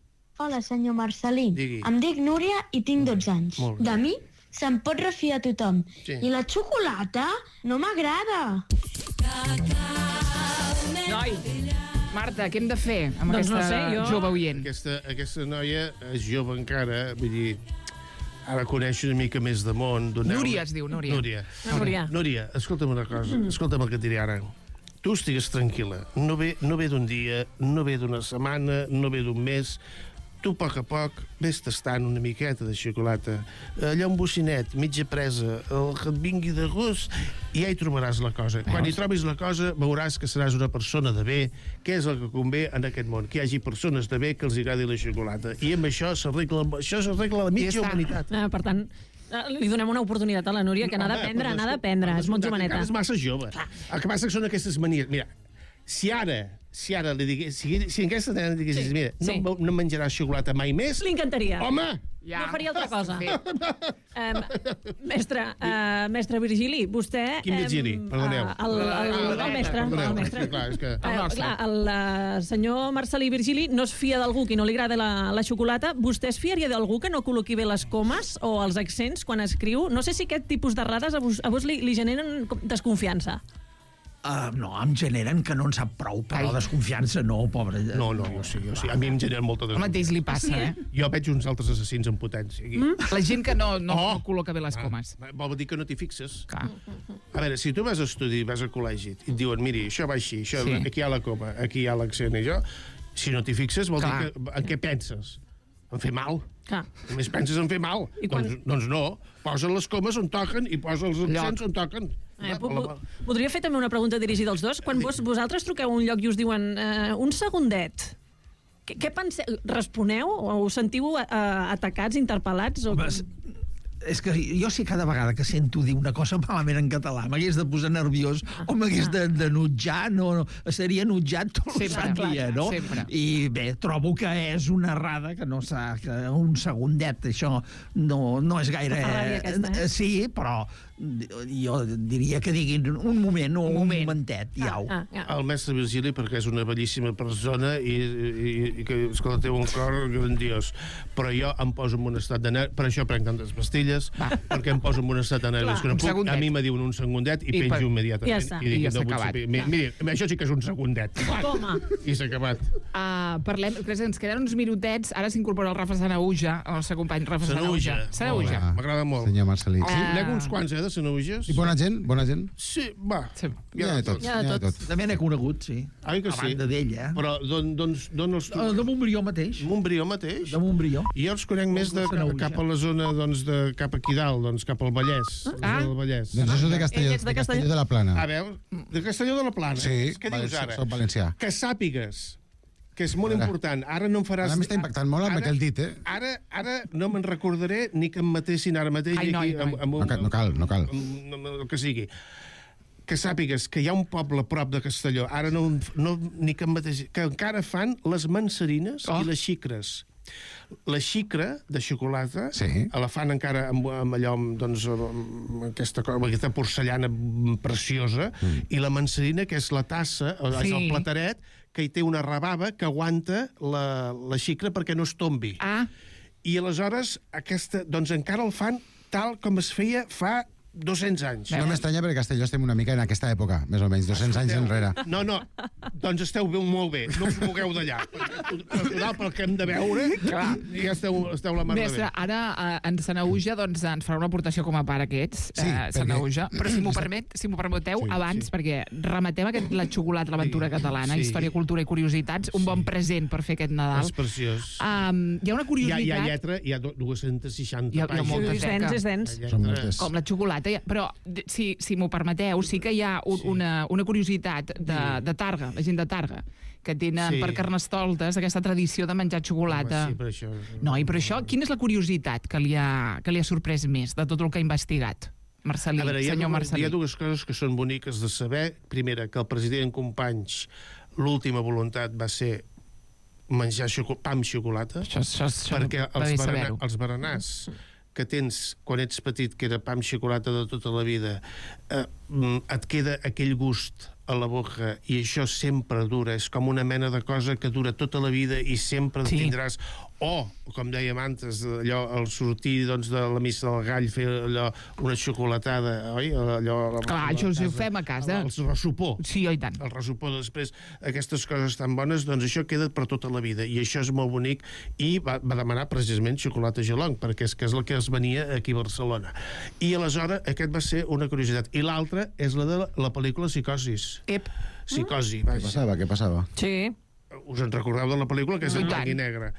Speaker 6: Hola, senyor Marcelí.
Speaker 4: Digui.
Speaker 6: Em dic Núria i tinc 12 anys. De mi se'n pot refiar tothom.
Speaker 4: Sí.
Speaker 6: I la xocolata no m'agrada.
Speaker 1: Noi, Marta, què hem de fer amb aquesta jove oient?
Speaker 4: Aquesta noia és jove encara, vull dir... Ara coneixo una mica més de món.
Speaker 1: Núria es diu, Núria.
Speaker 4: Núria, escolta'm una cosa. Escolta'm el que et diré ara. Tu estigues tranquil·la. No ve d'un dia, no ve d'una setmana, no ve d'un mes. Tu, a poc, ves tastant una miqueta de xocolata. Allà un bocinet, mitja presa, el que et vingui de gust, i ja hi trobaràs la cosa. Quan hi trobis la cosa, veuràs que seràs una persona de bé, que és el que convé en aquest món, que hi hagi persones de bé que els agradi la xocolata. I amb això s'arregla la mitja humanitat.
Speaker 3: Per tant, li donem una oportunitat a la Núria, que n'ha d'aprendre, és molt joveneta.
Speaker 4: És massa jove. El que passa que són aquestes manies. Mira, si ara li digués, si aquesta nena diguessis, mira, no menjaràs xocolata mai més...
Speaker 3: Li encantaria.
Speaker 4: Home!
Speaker 3: No faria altra cosa. Mestre Virgili, vostè...
Speaker 4: Quin Virgili? Perdoneu.
Speaker 3: El mestre.
Speaker 4: Clar,
Speaker 3: el senyor Marcelí Virgili no es fia d'algú qui no li agrada la xocolata. Vostè es fiaria d'algú que no col·loqui bé les comes o els accents quan escriu? No sé si aquest tipus d'errades a vos li generen desconfiança.
Speaker 5: No, em generen que no en sap prou, però desconfiança no, pobre.
Speaker 4: No, jo sí. A mi em generen molta desconfiança.
Speaker 1: El mateix li passa,
Speaker 4: Jo veig uns altres assassins en potència.
Speaker 1: La gent que no col·loca bé les comes.
Speaker 4: Vol dir que no t'hi fixes. A veure, si tu vas a estudi, vas a col·legi, i et diuen, miri, això va així, aquí hi ha la coma, aquí hi ha l'accent, i jo, si no t'hi fixes, vol dir que en què penses? En fer mal. Només penses en fer mal. Doncs no. Posa les comes on toquen i posa els accents on toquen.
Speaker 3: Podria fer també una pregunta dirigida als dos? Quan vosaltres truqueu a un lloc i us diuen un segundet, què penseu? Responeu o us sentiu atacats, interpel·lats?
Speaker 5: És que jo sí cada vegada que sento dir una cosa malament en català m'hagués de posar nerviós o m'hagués de nutjar, seria nutjat tot el sant dia, no? I bé, trobo que és una errada, que no s'ha... un segundet, això no és gaire... Sí, però jo diria que diguin un moment o un momentet, i au.
Speaker 4: El mestre Virgili, perquè és una bellíssima persona i que, escolta, té un cor grandiós, però jo em poso en un estat de nervis, per això prenc tantes pastilles, perquè em poso en un estat de nervis que no puc. A mi me diuen un segundet i penjo immediatament. I
Speaker 1: s'ha acabat.
Speaker 4: Miri, això sí que és un segundet.
Speaker 3: Toma.
Speaker 4: I s'ha acabat.
Speaker 1: Parlem, ens queden uns minutets, ara s'incorpora el Rafa Sanahuja, el nostre company Rafa Sanahuja.
Speaker 4: M'agrada molt.
Speaker 7: Senyor Marcelí.
Speaker 4: N'hi ha uns quants, de Sanahuges.
Speaker 7: I bona gent?
Speaker 4: Sí, va.
Speaker 7: Hi ha de tots.
Speaker 5: També n'he conegut, sí.
Speaker 4: Ai que sí.
Speaker 5: A banda d'ell,
Speaker 4: Però d'on els...
Speaker 5: De Montbrió mateix.
Speaker 4: Montbrió mateix?
Speaker 5: De Montbrió.
Speaker 4: I jo els conec més cap a la zona, cap aquí dalt, cap al Vallès.
Speaker 7: Doncs això de Castelló de la Plana.
Speaker 4: A veure, de Castelló de la Plana.
Speaker 7: Sí,
Speaker 4: què dius ara?
Speaker 7: soc valencià.
Speaker 4: Que sàpigues que és molt important. Ara no em faràs...
Speaker 7: Ara m'està impactant molt amb aquell dit,
Speaker 4: Ara no me'n recordaré ni que em matessin ara mateix aquí...
Speaker 7: No cal.
Speaker 4: El que sigui. Que sàpigues que hi ha un poble a prop de Castelló, ara ni que em matessin... Que encara fan les mansarines i les xicres. La xicra de xocolata la fan encara amb allò, doncs, amb aquesta porcellana preciosa, i la mansarina, que és la tassa, és el plataret, que hi té una rebava que aguanta la xicra perquè no es tombi. I aleshores, doncs encara el fan tal com es feia fa 200 anys.
Speaker 7: No m'estranya perquè Castelló estem una mica en aquesta època, més o menys, 200 anys enrere.
Speaker 4: No, doncs esteu molt bé, no us mogueu d'allà. Pel que hem de veure, ja esteu la mar de bé.
Speaker 1: Mestre, ara en Sanaüja ens farà una aportació com a pare aquests, Sanaüja, però si m'ho permeteu, abans, perquè rematem la xocolata, l'aventura catalana, història, cultura i curiositats, un bon present per fer aquest Nadal.
Speaker 4: És preciós.
Speaker 1: Hi ha una curiositat...
Speaker 4: Hi ha lletra, hi ha 260 pàgines.
Speaker 3: És dens.
Speaker 1: Com la xocolata. Però, si m'ho permeteu, sí que hi ha una curiositat de Targa, la gent de Targa, que tenen per Carnestoltes aquesta tradició de menjar xocolata.
Speaker 4: Sí, per això.
Speaker 1: No, i per això, quina és la curiositat que li ha sorprès més de tot el que ha investigat? Marcelí, senyor Marcelí.
Speaker 4: Hi ha dues coses que són boniques de saber. Primera, que el president Companys, l'última voluntat va ser menjar pa amb xocolata, perquè els berenars que tens quan ets petit, que era pa amb xocolata de tota la vida, et queda aquell gust a la boca i això sempre dura, és com una mena de cosa que dura tota la vida i sempre tindràs. O, com dèiem antes, allò, al sortir de la missa del gall, fer allò, una xocolatada, oi?
Speaker 1: Clar, això ho fem a casa.
Speaker 4: El ressupó.
Speaker 1: Sí, i tant.
Speaker 4: El ressupó després, aquestes coses tan bones, doncs això queda per tota la vida. I això és molt bonic. I va demanar precisament xocolata gelong, perquè és el que es venia aquí a Barcelona. I aleshores aquest va ser una curiositat. I l'altra és la de la pel·lícula Psicosis. Psicosi.
Speaker 7: Què passava?
Speaker 3: Sí.
Speaker 4: Us en recordeu de la pel·lícula, que és en blanc i negre?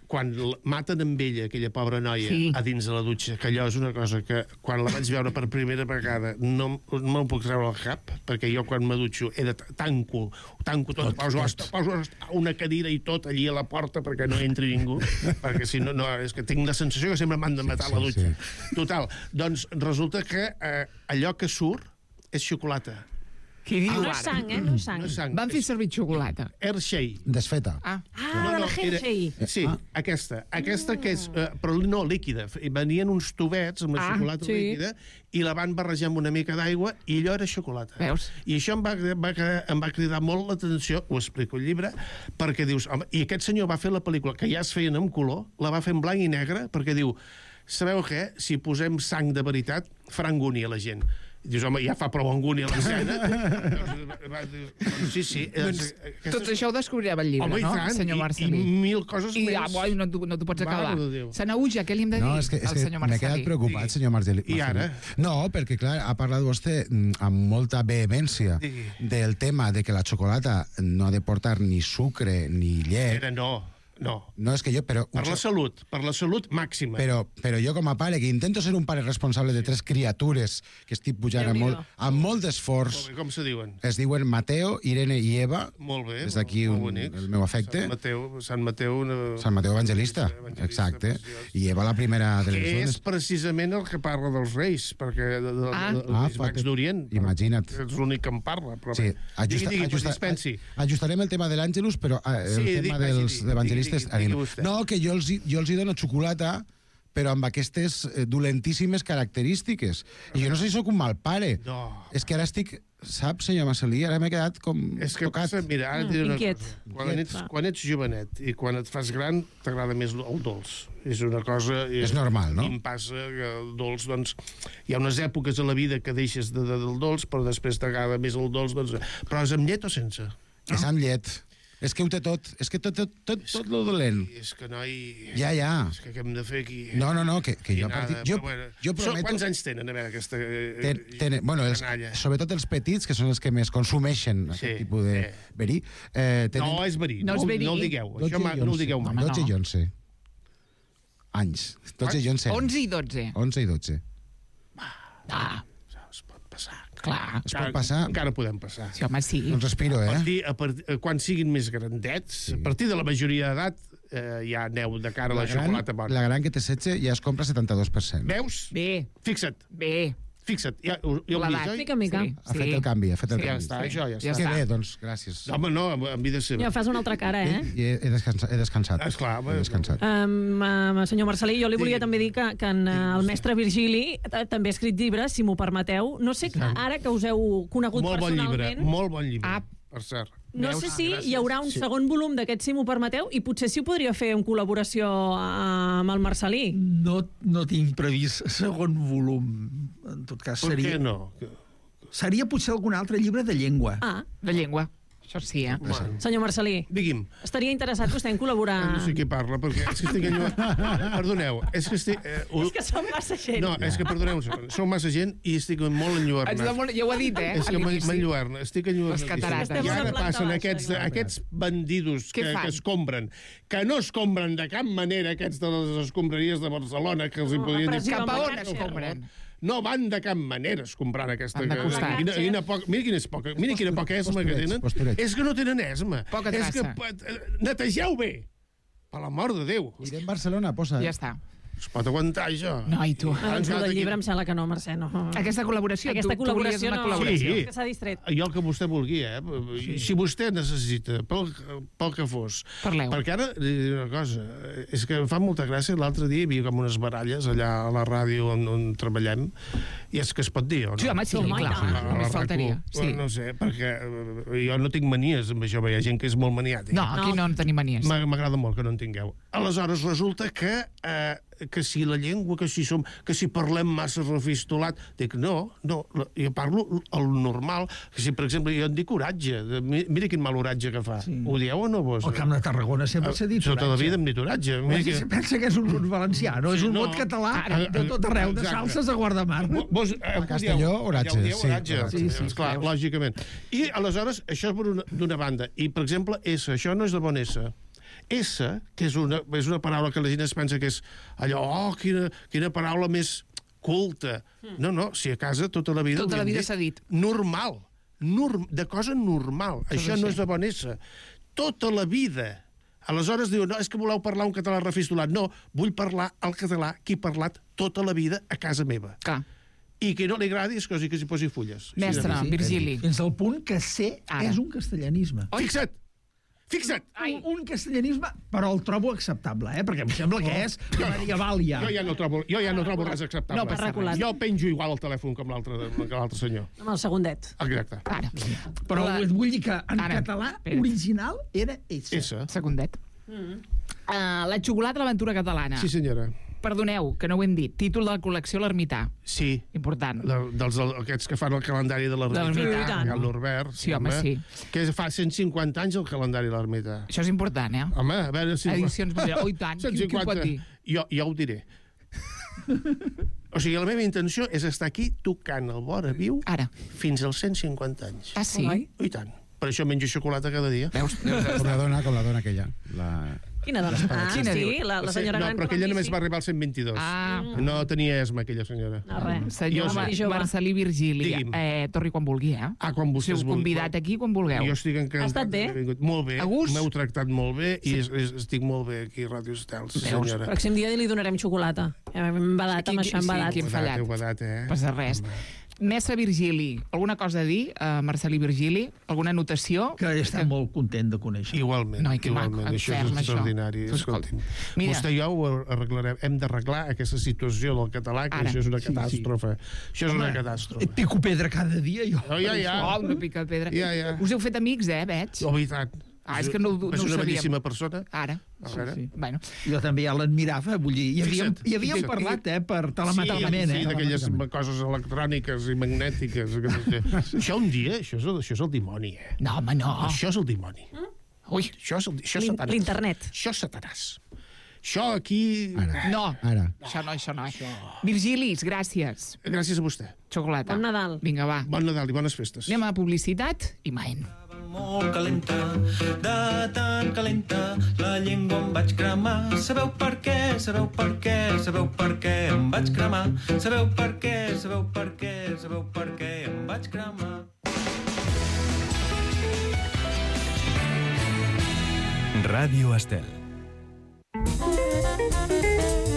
Speaker 4: Quan maten amb ella, aquella pobra noia, a dins de la dutxa, que allò és una cosa que, quan la vaig veure per primera vegada, no me'l puc treure al cap, perquè jo, quan me dutxo, tanco tot, poso una cadira i tot allí a la porta perquè no entri ningú, perquè si no, és que tinc la sensació que sempre m'han de matar a la dutxa. Total, doncs resulta que allò que surt és xocolata.
Speaker 1: Qui diu
Speaker 3: no és sang, no és sang.
Speaker 1: Van fer servir xocolata.
Speaker 4: Hershey.
Speaker 7: Desfeta.
Speaker 3: La Hershey.
Speaker 4: Sí, aquesta que és, però no líquida. Venien uns tubets amb la xocolata líquida i la van barrejar amb una mica d'aigua i allò era xocolata.
Speaker 1: Veus?
Speaker 4: I això em va cridar molt l'atenció, ho explico al llibre, perquè dius, home, i aquest senyor va fer la pel·lícula, que ja es feien en color, la va fer en blanc i negre, perquè diu, sabeu què? Si posem sang de veritat, farà angúnia a la gent. Dius, home, ja fa prou angúnia l'escena. Sí.
Speaker 1: Tot això ho descobrirem al llibre, no, senyor Marcelí?
Speaker 4: I mil coses més.
Speaker 1: I no t'ho pots acabar. Sanaüja, què li hem de dir al senyor Marcelí?
Speaker 7: M'he quedat preocupat, senyor Marcelí.
Speaker 4: I ara?
Speaker 7: No, perquè, clar, ha parlat vostè amb molta vehemència del tema de que la xocolata no ha de portar ni sucre ni llet.
Speaker 4: No,
Speaker 7: és que jo... Per
Speaker 4: la salut màxima.
Speaker 7: Però jo com a pare, que intento ser un pare responsable de 3 criatures que estic pujant amb molt d'esforç...
Speaker 4: Com se diuen?
Speaker 7: Es diuen Mateo, Irene i Eva.
Speaker 4: Molt bé,
Speaker 7: des d'aquí el meu afecte.
Speaker 4: Sant Mateu
Speaker 7: Evangelista, exacte. I Eva la primera de les dones.
Speaker 4: Que és precisament el que parla dels reis, perquè dels mags d'Orient.
Speaker 7: Imagina't.
Speaker 4: És l'únic que en parla.
Speaker 7: Sí, ajustarem el tema de l'Àngelus, però el tema dels evangelistes. No, que jo els hi dono xocolata, però amb aquestes dolentíssimes característiques. I jo no sé si sóc un mal pare.
Speaker 4: No.
Speaker 7: És que ara estic... Sap, senyor Marcelí, ara m'he quedat com tocat.
Speaker 4: Mira, ara et diré una cosa. Quan ets jovenet i quan et fas gran, t'agrada més el dolç. És una cosa...
Speaker 7: És normal, no?
Speaker 4: I em passa que el dolç, doncs... Hi ha unes èpoques a la vida que deixes del dolç, però després t'agrada més el dolç, doncs... Però és amb llet o sense?
Speaker 7: És amb llet. És que ho té tot. És que tot lo dolent.
Speaker 4: És que, noi...
Speaker 7: Ja.
Speaker 4: És que què hem de fer aquí?
Speaker 7: No, que jo... Jo prometo...
Speaker 4: Quants anys tenen, a veure, aquesta
Speaker 7: canalla? Sobretot els petits, que són els que més consumeixen aquest tipus de verí.
Speaker 4: No, és verí. No el digueu. Això no ho digueu mai.
Speaker 7: 12 i 11 anys. 12 i 11 anys.
Speaker 1: 11 i 12.
Speaker 7: 11 i 12.
Speaker 4: Es pot passar.
Speaker 1: Clar.
Speaker 7: Es pot passar?
Speaker 4: Encara podem passar.
Speaker 1: Sí, home, sí.
Speaker 7: Doncs respiro,
Speaker 4: quan siguin més grandets, a partir de la majoria d'edat, ja aneu de cara a la xocolata bona.
Speaker 7: La gran que té 16 ja es compra 72%.
Speaker 4: Veus?
Speaker 1: Bé.
Speaker 4: Fixa't. Ja ho hem vist, oi?
Speaker 3: Mica.
Speaker 7: Ha fet el canvi,
Speaker 4: Ja està, això ja està.
Speaker 7: Que bé, doncs, gràcies.
Speaker 4: Home, no, en vida seva.
Speaker 3: Ja fas una altra cara,
Speaker 7: I he descansat.
Speaker 4: Esclar.
Speaker 7: He descansat.
Speaker 3: Senyor Marcelí, jo li volia també dir que el mestre Virgili també ha escrit llibres, si m'ho permeteu. No sé, ara que us heu conegut personalment...
Speaker 4: Molt bon llibre, per cert.
Speaker 3: No sé si hi haurà un segon volum d'aquest, si m'ho permeteu, i potser si ho podria fer en col·laboració amb el Marcelí.
Speaker 5: No tinc previst segon volum. En tot cas,
Speaker 4: Per què no?
Speaker 5: Seria potser algun altre llibre de llengua.
Speaker 1: De llengua. Això sí,
Speaker 3: Senyor Marcelí,
Speaker 4: Digui'm.
Speaker 3: estaria interessat vostè en col·laborar...
Speaker 4: No sé qui parla, perquè és que estic enlluernat. Perdoneu, és que estic...
Speaker 3: És que som massa gent.
Speaker 4: No, és que, perdoneu, som massa gent i estic molt enlluernat.
Speaker 1: Ja ho ha dit,
Speaker 4: És que m'enlluerna, estic enlluernat.
Speaker 1: Les
Speaker 4: I ara passen aquests bandidos que escombren, que no escombren de cap manera aquests de les escombraries de Barcelona, que els hi podrien dir...
Speaker 1: Cap a on escombren?
Speaker 4: No van de cap manera escombrant aquesta...
Speaker 1: Van de costat.
Speaker 4: Mira quina poca esma que tenen. És que no tenen esma.
Speaker 1: Poca traça.
Speaker 4: És que netegeu bé. Per l'amor de Déu.
Speaker 7: Irem a Barcelona, posa.
Speaker 1: Ja està.
Speaker 4: Es pot aguantar, això?
Speaker 1: No, i tu?
Speaker 3: Doncs el del llibre em sembla que no, Mercè, no.
Speaker 1: Aquesta col·laboració,
Speaker 3: Aquesta col·laboració no.
Speaker 4: col·laboració.
Speaker 3: Que s'ha distret.
Speaker 4: Jo el que vostè vulgui, Si vostè necessita, pel que fos...
Speaker 1: Parleu.
Speaker 4: Perquè ara, diré una cosa, és que em fa molta gràcia, l'altre dia hi havia com unes baralles allà a la ràdio on treballem, i és que es pot dir, o no?
Speaker 1: Sí, home, sí, clar. Només faltaria.
Speaker 4: No sé, perquè jo no tinc manies amb això, hi ha gent que és molt maniàtica.
Speaker 1: No, aquí no en tenim manies.
Speaker 4: M'agrada molt que no en tingueu. Aleshores, resulta que si la llengua, que si parlem massa refistolat, dic, no, jo parlo el normal, que si, per exemple, jo en dic oratge, mira quin mal oratge que fa. Ho dieu o no, vos?
Speaker 5: Al Camp de Tarragona sempre s'ha dit oratge.
Speaker 4: Tota la vida em dit oratge.
Speaker 5: Pensa que és un valencià, no és un mot català de tot arreu, de Salses a Guardamar.
Speaker 7: A Castelló, oratge.
Speaker 4: Sí, clar, lògicament. I, aleshores, això és d'una banda. I, per exemple, S, això no és de bon S. S, que és una paraula que la gent es pensa que és allò, quina paraula més culta. No, si a casa tota la vida...
Speaker 1: Tota la vida s'ha dit.
Speaker 4: Normal. De cosa normal. Això no és de bon S. Tota la vida. Aleshores diu, no, és que voleu parlar un català refistolat. No, vull parlar el català que he parlat tota la vida a casa meva.
Speaker 1: Clar.
Speaker 4: I que no li agradi és cosa que s'hi posi fulles.
Speaker 1: Mestre, Virgili.
Speaker 5: Fins al punt que C és un castellanisme.
Speaker 4: Fixa't!
Speaker 5: Un castellanisme, però el trobo acceptable, perquè em sembla que és medieval ja.
Speaker 4: Jo ja no trobo res acceptable.
Speaker 3: No passa res.
Speaker 4: Jo penjo igual el telèfon com l'altre senyor.
Speaker 3: Amb el segundet.
Speaker 4: Exacte.
Speaker 1: Ara.
Speaker 5: Però vull dir que en català original era S.
Speaker 1: Segundet. La xocolata a l'aventura catalana.
Speaker 4: Sí, senyora.
Speaker 1: Perdoneu, que no ho hem dit. Títol de la col·lecció L'Ermità.
Speaker 4: Sí.
Speaker 1: Important.
Speaker 4: Aquests que fan el calendari de l'Ermità. El Norbert.
Speaker 1: Sí, home, sí.
Speaker 4: Que fa 150 anys el calendari de l'Ermità.
Speaker 1: Això és important,
Speaker 4: Home, a veure si...
Speaker 1: Edicions... Oh, i tant. Qui ho pot dir?
Speaker 4: Jo ho diré. O sigui, la meva intenció és estar aquí tocant el vora viu fins als 150 anys.
Speaker 1: Ah, sí?
Speaker 4: I tant. Per això menjo xocolata cada dia.
Speaker 1: Veus?
Speaker 7: Com la dona aquella.
Speaker 3: Quina dona?
Speaker 1: Quina
Speaker 3: sí, la senyora gran.
Speaker 4: No, però aquella només va arribar al 122. No tenia esma, aquella senyora.
Speaker 3: No, res.
Speaker 1: Senyor Marcelí Virgili, torni quan vulgui,
Speaker 4: quan vostès vulgui.
Speaker 1: Convidat aquí quan vulgueu.
Speaker 4: Jo estic encantat.
Speaker 3: Ha estat bé?
Speaker 4: Molt bé.
Speaker 1: A gust?
Speaker 4: M'heu tractat molt bé i estic molt bé aquí a Ràdio Estels, senyora.
Speaker 3: Pròxim dia li donarem xocolata. Hem badat amb això, hem badat.
Speaker 1: Quin fallat.
Speaker 4: Heu badat,
Speaker 1: Passa res. Mestre Virgili, alguna cosa a dir, Marcelí Virgili? Alguna anotació?
Speaker 5: Que està molt content de conèixer.
Speaker 4: Igualment.
Speaker 1: No, que maco,
Speaker 4: això és extraordinari. Escolti'm, vostè i jo ho arreglarem. Hem d'arreglar aquesta situació del català, que això és una catàstrofe. Això és una catàstrofe.
Speaker 5: Pico pedra cada dia, jo.
Speaker 1: Una pica de pedra. Us heu fet amics, veig?
Speaker 4: Oh, i tant.
Speaker 1: És que no ho sabíem.
Speaker 4: És una bellíssima persona.
Speaker 1: Ara. Bueno.
Speaker 5: Jo també ja l'admirava, vull dir, hi havíem parlat, per telemàticament.
Speaker 4: Sí, d'aquelles coses electròniques i magnètiques. Això un dia, això és el dimoni,
Speaker 1: No, home, no.
Speaker 4: Això és el dimoni.
Speaker 1: Ui,
Speaker 4: això és Satanàs.
Speaker 3: L'internet.
Speaker 4: Això és Satanàs. Això aquí...
Speaker 1: No, això no. Virgilis, gràcies.
Speaker 4: Gràcies a vostè.
Speaker 1: Xocolata.
Speaker 3: Bon Nadal.
Speaker 1: Vinga, va.
Speaker 4: Bon Nadal i bones festes.
Speaker 1: Anem a publicitat i maen.
Speaker 2: Molt calenta, de tan calenta, la llengua em vaig cremar. Sabeu per què? Sabeu per què? Sabeu per què em vaig cremar? Sabeu per què? Sabeu per què? Sabeu per què em vaig cremar?
Speaker 8: Ràdio Estel.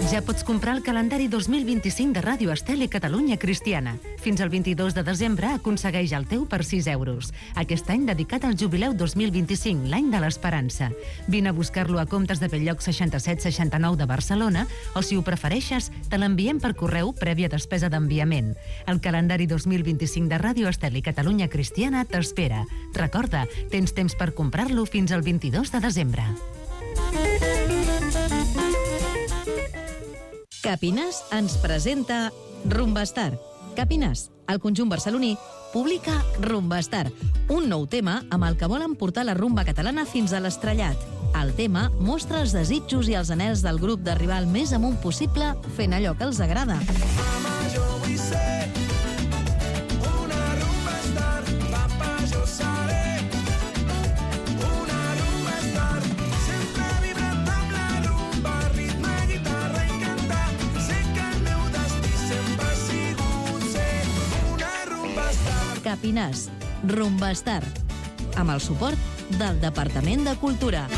Speaker 9: Ja pots comprar el calendari 2025 de Ràdio Estel i Catalunya Cristiana. Fins al 22 de desembre aconsegueix el teu per 6 euros. Aquest any dedicat al jubileu 2025, l'any de l'esperança. Vine a buscar-lo a Comptes de Belllloc 6769 de Barcelona o, si ho prefereixes, te l'enviem per correu prèvia despesa d'enviament. El calendari 2025 de Ràdio Estel i Catalunya Cristiana t'espera. Recorda, tens temps per comprar-lo fins al 22 de desembre.
Speaker 10: Capines ens presenta Rumbastar, Capinàs, el conjunt barceloní, publica Rumbastar, un nou tema amb el que volen portar la rumba catalana fins a l'estrellat. El tema mostra els desitjos i els anhels del grup d'arribar al més amunt possible fent allò que els agrada.
Speaker 11: Mama, jo vull ser una rumbastar. Papa, jo seré una rumbastar. Sempre vibrant amb la rumba, ritme, guitarra i cantar. Sé que el meu destí sempre ha sigut ser una rumbastar.
Speaker 10: Capinàs, Rumbastar, amb el suport del Departament de Cultura.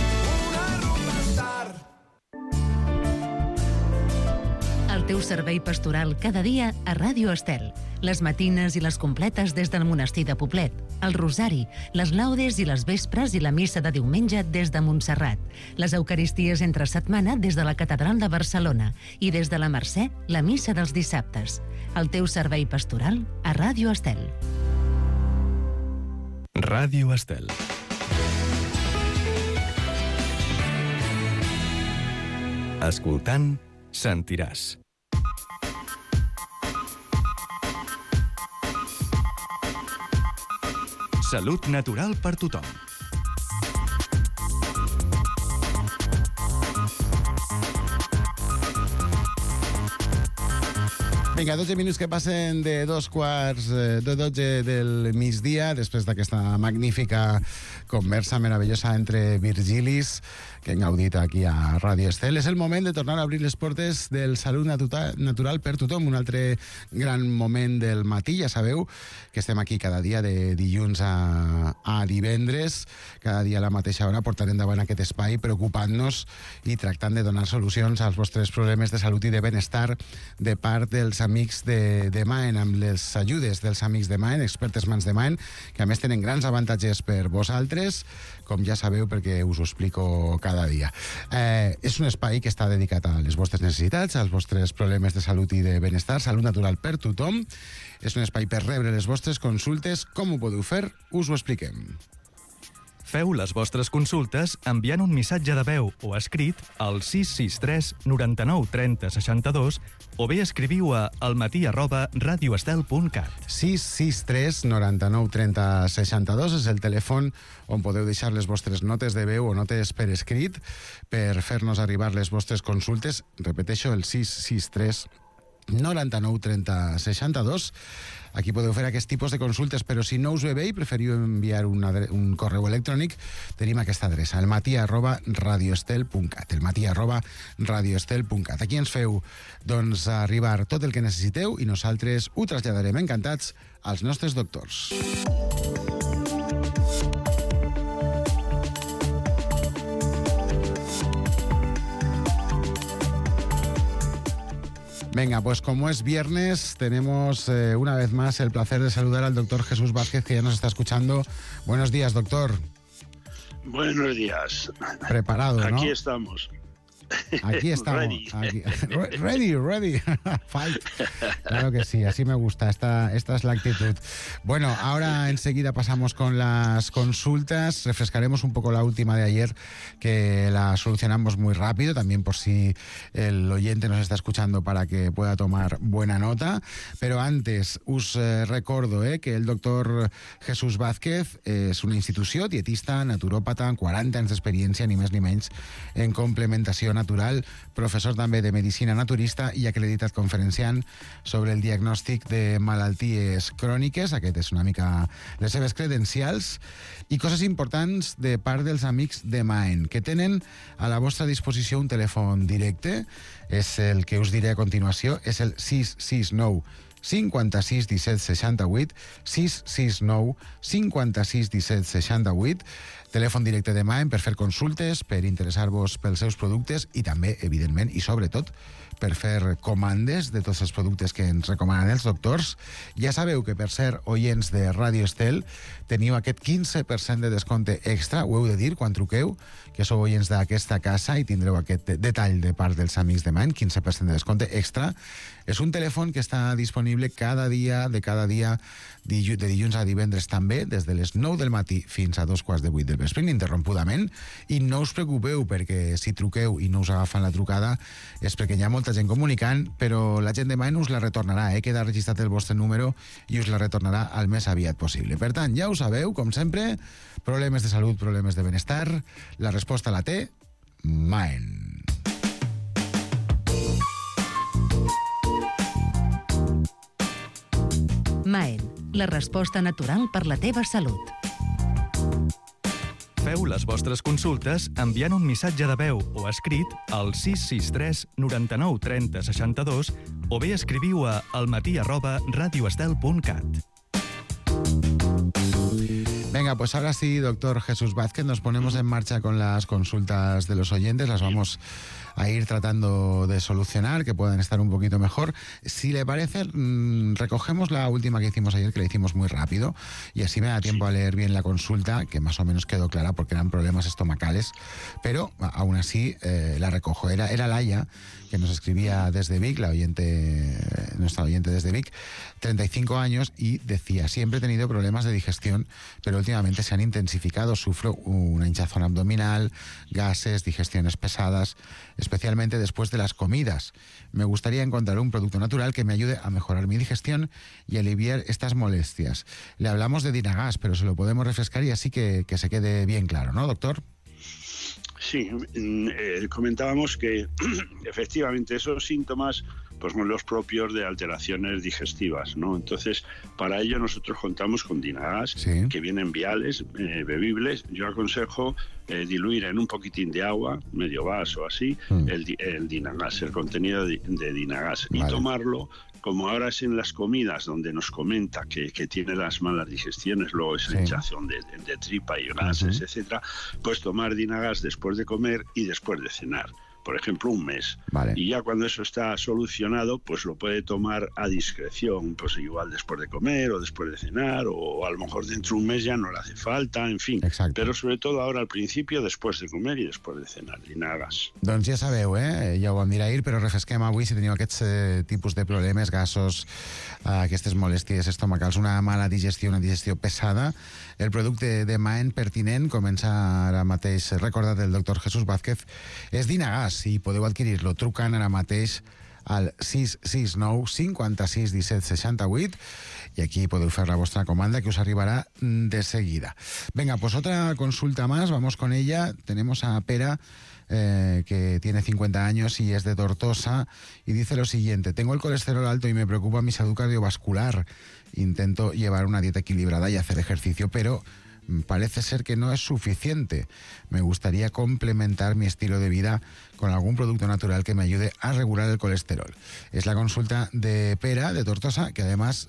Speaker 9: El teu servei pastoral cada dia a Ràdio Estel. Les matines i les completes des del monestir de Poblet, el rosari, les laudes i les vespres i la missa de diumenge des de Montserrat, les eucaristies entre setmana des de la Catedral de Barcelona i des de la Mercè, la missa dels dissabtes. El teu servei pastoral a Ràdio Estel.
Speaker 8: Ràdio Estel. Escoltant, sentiràs. Salut natural per tothom.
Speaker 7: Vinga, 12 minuts que passen de 2:45 del migdia, després d'aquesta magnífica conversa meravellosa entre Virgilis, que hem gaudit aquí a Ràdio Estel. És el moment de tornar a obrir les portes del Salut Natural per tothom, un altre gran moment del matí. Ja sabeu que estem aquí cada dia de dilluns a divendres, cada dia a la mateixa hora, portant endavant aquest espai, preocupant-nos i tractant de donar solucions als vostres problemes de salut i de benestar de part dels amics de Maen, amb les ajudes dels amics de Maen, expertes mans de Maen, que a més tenen grans avantatges per vosaltres, com ja sabeu perquè us ho explico cada dia. És un espai que està dedicat a les vostres necessitats, als vostres problemes de salut i de benestar, salut natural per tothom. És un espai per rebre les vostres consultes. Com ho podeu fer? Us ho expliquem.
Speaker 8: Feu les vostres consultes enviant un missatge de veu o escrit al 663 99 30 62 o bé escriviu a almatí@radioestel.cat.
Speaker 7: 663 99 30 62 és el telèfon on podeu deixar les vostres notes de veu o notes per escrit per fer-nos arribar les vostres consultes. Repeteixo, el 663 99 30 62. Aquí podeu fer aquest tipus de consultes, però si no us ve bé i preferiu enviar un correu electrònic, tenim aquesta adreça, elmatí@radioestel.cat, elmatí@radioestel.cat. Aquí ens feu, doncs, arribar tot el que necessiteu i nosaltres ho traslladarem encantats als nostres doctors. Venga, pues como es viernes, tenemos una vez más el placer de saludar al doctor Jesús Vázquez, que ya nos está escuchando. Buenos días, doctor.
Speaker 12: Buenos días.
Speaker 7: Preparado, ¿no?
Speaker 12: Aquí estamos.
Speaker 7: Aquí estamos. Ready. Fight. Claro que sí, así me gusta. Esta es la actitud. Bueno, ahora enseguida pasamos con las consultas. Refrescaremos un poco la última de ayer, que la solucionamos muy rápido, también por si el oyente nos está escuchando para que pueda tomar buena nota. Pero antes, us recordo que el doctor Jesús Vázquez és una institució dietista, naturòpata, amb 40 anys d'experiència, ni més ni menys, en complementació natural, professor també de medicina naturista i acreditat conferenciant sobre el diagnòstic de malalties cròniques. Aquest és una mica les seves credencials. I coses importants de part dels amics de Maen, que tenen a la vostra disposició un telèfon directe, és el que us diré a continuació, és el 669 56 17 68, 669 56 17 68, telèfon directe de Maen per fer consultes, per interessar-vos pels seus productes i també, evidentment, i sobretot, per fer comandes de tots els productes que ens recomanen els doctors. Ja sabeu que per ser oients de Ràdio Estel teniu aquest 15% de descompte extra, ho heu de dir quan truqueu, que sou oients d'aquesta casa i tindreu aquest detall de part dels amics de Maen, 15% de descompte extra. És un telèfon que està disponible cada dia, de dilluns a divendres també, des de les 9 del matí fins a 2:15 del vespre ininterrompudament, i no us preocupeu perquè si truqueu i no us agafen la trucada és perquè hi ha molta gent comunicant, però la gent de Maen us la retornarà, queda registrat el vostre número i us la retornarà al més aviat possible. Per tant, ja ho sabeu, com sempre, problemes de salut, problemes de benestar, la resposta la té Maen.
Speaker 9: Maen, la resposta natural per la teva salut.
Speaker 8: Feu les vostres consultes enviant un missatge de veu o escrit al 663 99 30 62 o bé escriviu a almatí@radioestel.cat.
Speaker 7: Venga, pues ahora sí, doctor Jesús Vázquez, nos ponemos en marcha con las consultas de los oyentes, las vamos a ir tratando de solucionar, que puedan estar un poquito mejor. Si le parece, recogemos la última que hicimos ayer, que la hicimos muy rápido, y así me da tiempo a leer bien la consulta, que más o menos quedó clara porque eran problemas estomacales, pero aún así la recojo. Era Laia, que nos escribía desde Vic, nuestra oyente desde Vic, 35 años, y decía: siempre he tenido problemas de digestión, pero últimamente se han intensificado. Sufro una hinchazón abdominal, gases, digestiones pesadas, especialmente después de las comidas. Me gustaría encontrar un producto natural que me ayude a mejorar mi digestión y aliviar estas molestias. Le hablamos de Dinagas, pero se lo podemos refrescar y así que se quede bien claro, ¿no, doctor?
Speaker 12: Sí, comentábamos que efectivamente esos síntomas pues son los propios de alteraciones digestivas, ¿no? Entonces, para ello nosotros contamos con Dinagas, que vienen viales, bebibles. Yo aconsejo diluir en un poquitín de agua, medio vaso así, el Dinagas, el contenido de Dinagas, y tomarlo. Como ahora es en las comidas donde nos comenta que tiene las malas digestiones, luego esa hinchazón de tripa y gases, etcétera, pues tomar Dinagas después de comer y después de cenar. Por ejemplo, un mes. Y ya cuando eso está solucionado, pues lo puede tomar a discreción, pues igual después de comer o después de cenar, o a lo mejor dentro de un mes ya no le hace falta, en fin. Però sobretot ara al principi, després de comer i després de cenar, Dinagas.
Speaker 7: Doncs ja sabeu, ja ho vam dir ahir, però refresquem avui si teniu aquests tipus de problemes, gasos, aquestes molèsties estomacals, una mala digestió, una digestió pesada. El producte de Maen pertinent, comença ara mateix, recordat del doctor Jesús Vázquez, és Dinagas, i podeu adquirir-lo trucant ara mateix al 669 56 17 68 y aquí podeu fer la vuestra comanda que os arribará de seguida. Venga, pues otra consulta más, vamos con ella. Tenemos a Pera, que tiene 50 años y es de Tortosa, y dice lo siguiente: tengo el colesterol alto y me preocupa mi salud cardiovascular. Intento llevar una dieta equilibrada y hacer ejercicio, pero parece ser que no es suficiente. Me gustaría complementar mi estilo de vida con algún producto natural que me ayude a regular el colesterol. Es la consulta de Pera, de Tortosa, que además,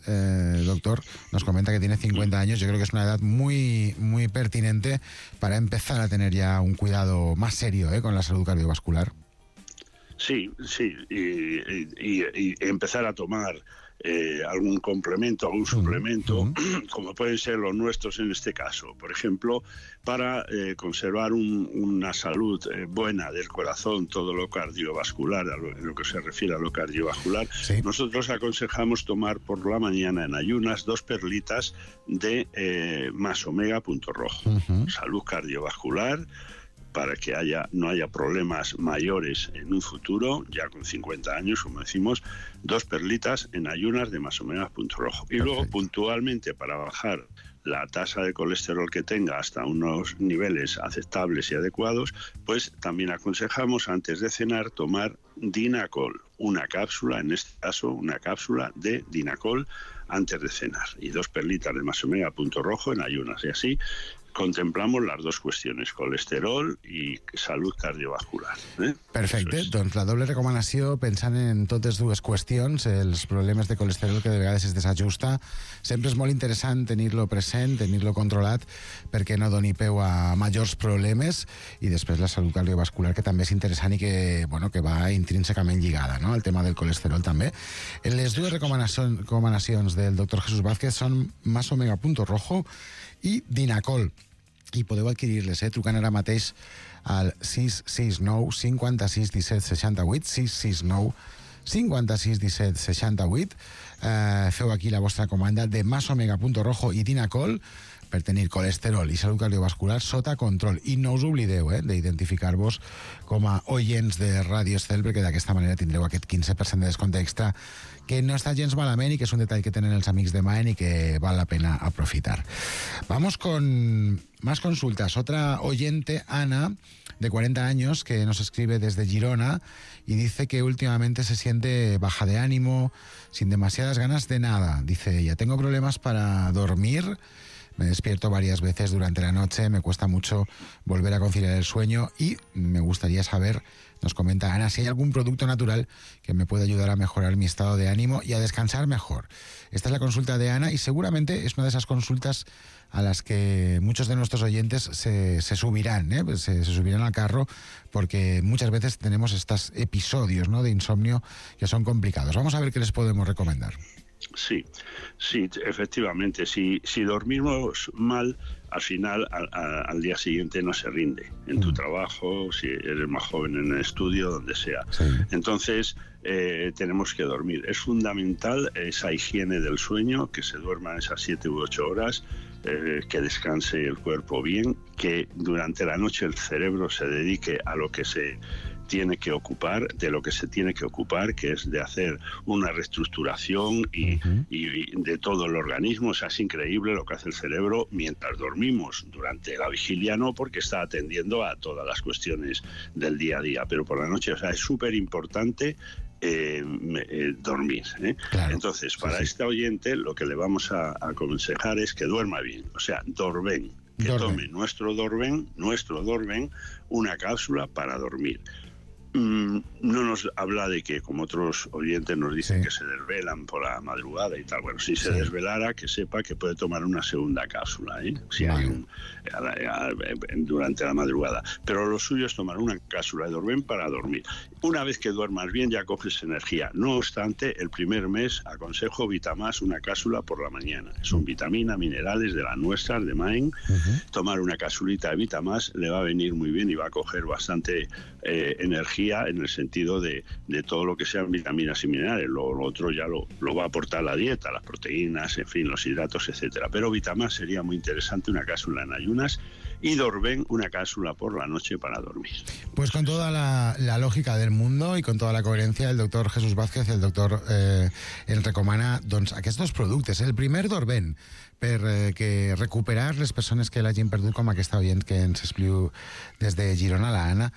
Speaker 7: doctor, nos comenta que tiene 50 años. Yo creo que es una edad muy, muy pertinente para empezar a tener ya un cuidado más serio con la salud cardiovascular.
Speaker 12: Sí, y empezar a tomar algún complemento, algún suplemento, como pueden ser los nuestros en este caso. Por ejemplo, para conservar una salud buena del corazón, todo lo cardiovascular, en lo que se refiere a lo cardiovascular, nosotros aconsejamos tomar por la mañana en ayunas 2 perlitas de Masomega Punto Rojo. Salud cardiovascular, para que no haya problemas mayores en un futuro, ya con 50 años, como decimos, 2 perlitas en ayunas de Masomega Punto Rojo. Y luego, puntualmente, para bajar la tasa de colesterol que tenga hasta unos niveles aceptables y adecuados, pues también aconsejamos antes de cenar tomar Dinacol, una cápsula, en este caso una cápsula de Dinacol antes de cenar, y 2 perlitas de Masomega Punto Rojo en ayunas, y así contemplamos las 2 cuestiones, colesterol i salut cardiovascular.
Speaker 7: Perfecte, doncs la doble recomanació, pensant en totes 2 qüestions, els problemes de colesterol que de vegades es desajusta, sempre és molt interessant tenir-lo present, tenir-lo controlat, perquè no doni peu a majors problemes, i després la salut cardiovascular, que també és interessant i que va intrínsecament lligada, no?, al tema del colesterol també. Les 2 recomanacions del doctor Jesús Vázquez són Masomega Punto Rojo i Dinacol, i podeu adquirir-les trucant ara mateix al 669 56 17 68, 669 56 17 68. Feu aquí la vostra comanda de Masomega Punto Rojo i Dinacol per tenir colesterol i salut cardiovascular sota control. I no us oblideu d'identificar-vos com a oients de Ràdio Estel, perquè d'aquesta manera tindreu aquest 15% de descompte extra que no está gens malament y que es un detalle que tienen los amigos de Maen y que vale la pena aprofitar. Vamos con más consultas. Otra oyente, Ana, de 40 años, que nos escribe desde Girona y dice que últimamente se siente baja de ánimo, sin demasiadas ganas de nada. Dice ella, tengo problemas para dormir, me despierto varias veces durante la noche, me cuesta mucho volver a conciliar el sueño y me gustaría saber, nos comenta Ana, si hay algún producto natural que me pueda ayudar a mejorar mi estado de ánimo y a descansar mejor. Esta es la consulta de Ana y seguramente es una de esas consultas a las que muchos de nuestros oyentes se subirán, se subirán al carro, porque muchas veces tenemos estos episodios, ¿no?, de insomnio que son complicados. Vamos a ver qué les podemos recomendar.
Speaker 12: Sí, efectivamente. Si dormimos mal, al final, al día siguiente no se rinde en tu trabajo, si eres más joven en el estudio, donde sea. Sí. Entonces, tenemos que dormir. Es fundamental esa higiene del sueño, que se duerman esas 7 u 8 horas, que descanse el cuerpo bien, que durante la noche el cerebro se dedique a lo que se tiene que ocupar, de lo que se tiene que ocupar, que es de hacer una reestructuración y de todo el organismo. O sea, es increíble lo que hace el cerebro mientras dormimos. Durante la vigilia no, porque está atendiendo a todas las cuestiones del día a día, pero por la noche, o sea, es súper importante dormir. Claro. Entonces, para este oyente, lo que le vamos a aconsejar es que duerma bien, o sea, Dorven, que tome nuestro Dorven, una cápsula para dormir. No nos habla de que, como otros oyentes nos dicen, que se desvelan por la madrugada y tal. Bueno, si se desvelara, que sepa que puede tomar una segunda cápsula, si hay durante la madrugada. Pero lo suyo es tomar una cápsula de Dorven para dormir. Una vez que duermas bien, ya coges energía. No obstante, el primer mes aconsejo Vitamás, una cápsula por la mañana. Son vitaminas, minerales de las nuestras, de Maen. Tomar una cápsulita de Vitamás le va a venir muy bien y va a coger bastante energía, en el sentido de todo lo que sean vitaminas y minerales. Lo otro ya lo va a aportar la dieta, las proteínas, en fin, los hidratos, etcétera. Pero Vitamás sería muy interesante, una cápsula en ayunas, y Dorven, una cápsula por la noche para dormir.
Speaker 7: Pues con toda la lògica del mundo i con tota la coherència, el doctor Jesús Vázquez i el doctor ens recomana aquests dos productes. El primer, Dorven, per recuperar les persones que l'hagin perdut, com aquesta oient que ens expliu des de Girona, la Anna,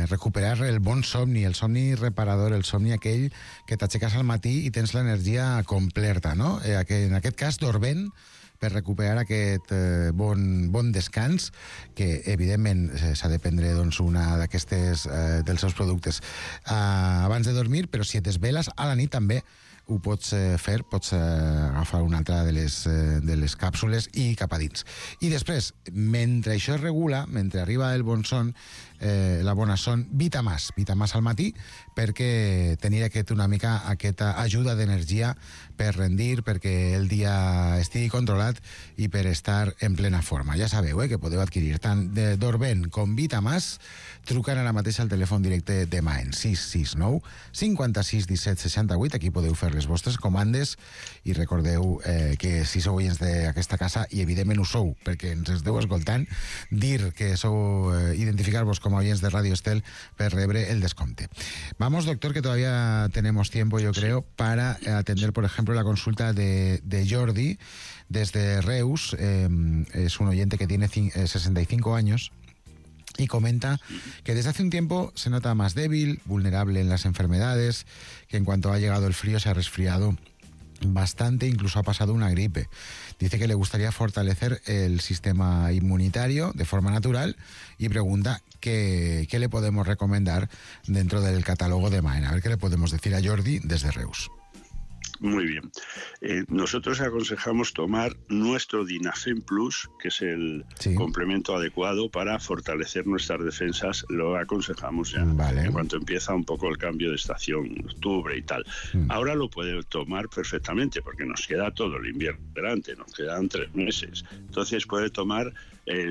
Speaker 7: recuperar el bon somni, el somni reparador, el somni aquell que t'aixeques al matí i tens l'energia completa, no? En aquest cas, Dorven, per recuperar aquest bon descans, que evidentment s'ha de prendre una d'aquestes dels seus productes abans de dormir, però si et desveles a la nit també ho pots fer, pots agafar una altra de les càpsules i cap a dins. I després, mentre això es regula, mentre arriba el bon son, la bona son, Vitamás al matí, perquè tenir una mica aquesta ajuda d'energia per rendir, perquè el dia estigui controlat i per estar en plena forma. Ja sabeu que podeu adquirir tant de Dorven com Vitamás trucant ara mateix al telèfon directe de Maen, 669 56 17 68. Aquí podeu fer les vostres comandes i recordeu que si sou oients d'aquesta casa, i evidentment ho sou perquè ens esteu escoltant, dir que sou, identificar-vos como oyentes de Radio Estel para rebre el desconte. Vamos, doctor, que todavía tenemos tiempo, yo creo, para atender, por ejemplo, la consulta de Jordi desde Reus. Es un oyente que tiene 65 años y comenta que desde hace un tiempo se nota más débil, vulnerable en las enfermedades, que en cuanto ha llegado el frío se ha resfriado bastante, incluso ha pasado una gripe. Dice que le gustaría fortalecer el sistema inmunitario de forma natural y pregunta qué le podemos recomendar dentro del catálogo de Maen. A ver qué le podemos decir a Jordi desde Reus.
Speaker 12: Muy bien. Nosotros aconsejamos tomar nuestro Dinafen Plus, que es el complemento adecuado para fortalecer nuestras defensas. Lo aconsejamos ya en cuanto empieza un poco el cambio de estación, octubre y tal. Ahora lo puede tomar perfectamente porque nos queda todo el invierno delante, nos quedan 3 meses. Entonces puede tomar,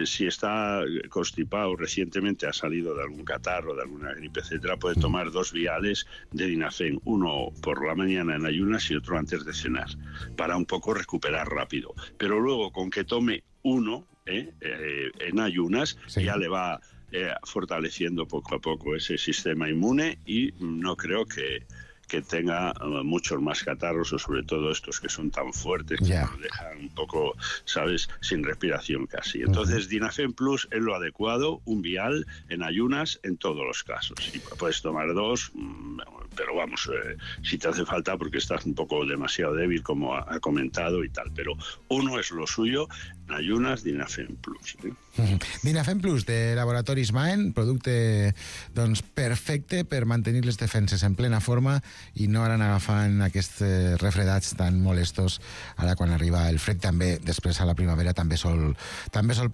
Speaker 12: si está constipado, recientemente ha salido de algún catarro, de alguna gripe, etcétera, puede tomar 2 viales de Dinafen, uno por la mañana en ayunas y otro antes de cenar, para un poco recuperar rápido. Pero luego, con que tome uno, en ayunas, ya le va fortaleciendo poco a poco ese sistema inmune y no creo que tenga muchos más catarros, o sobre todo estos que son tan fuertes que nos dejan un poco, ¿sabes?, sin respiración casi. Entonces, Dinafen Plus es lo adecuado, un vial en ayunas en todos los casos. Y puedes tomar 2, pero vamos, si te hace falta porque estás un poco demasiado débil, como ha comentado y tal. Pero 1 és lo suyo, en ayunas, Dinafen Plus.
Speaker 7: Dinafen Plus, de Laboratoris Maen, producte doncs, perfecte per mantenir les defenses en plena forma i no anar agafant aquests refredats tan molestos ara quan arriba el fred. També després a la primavera també sol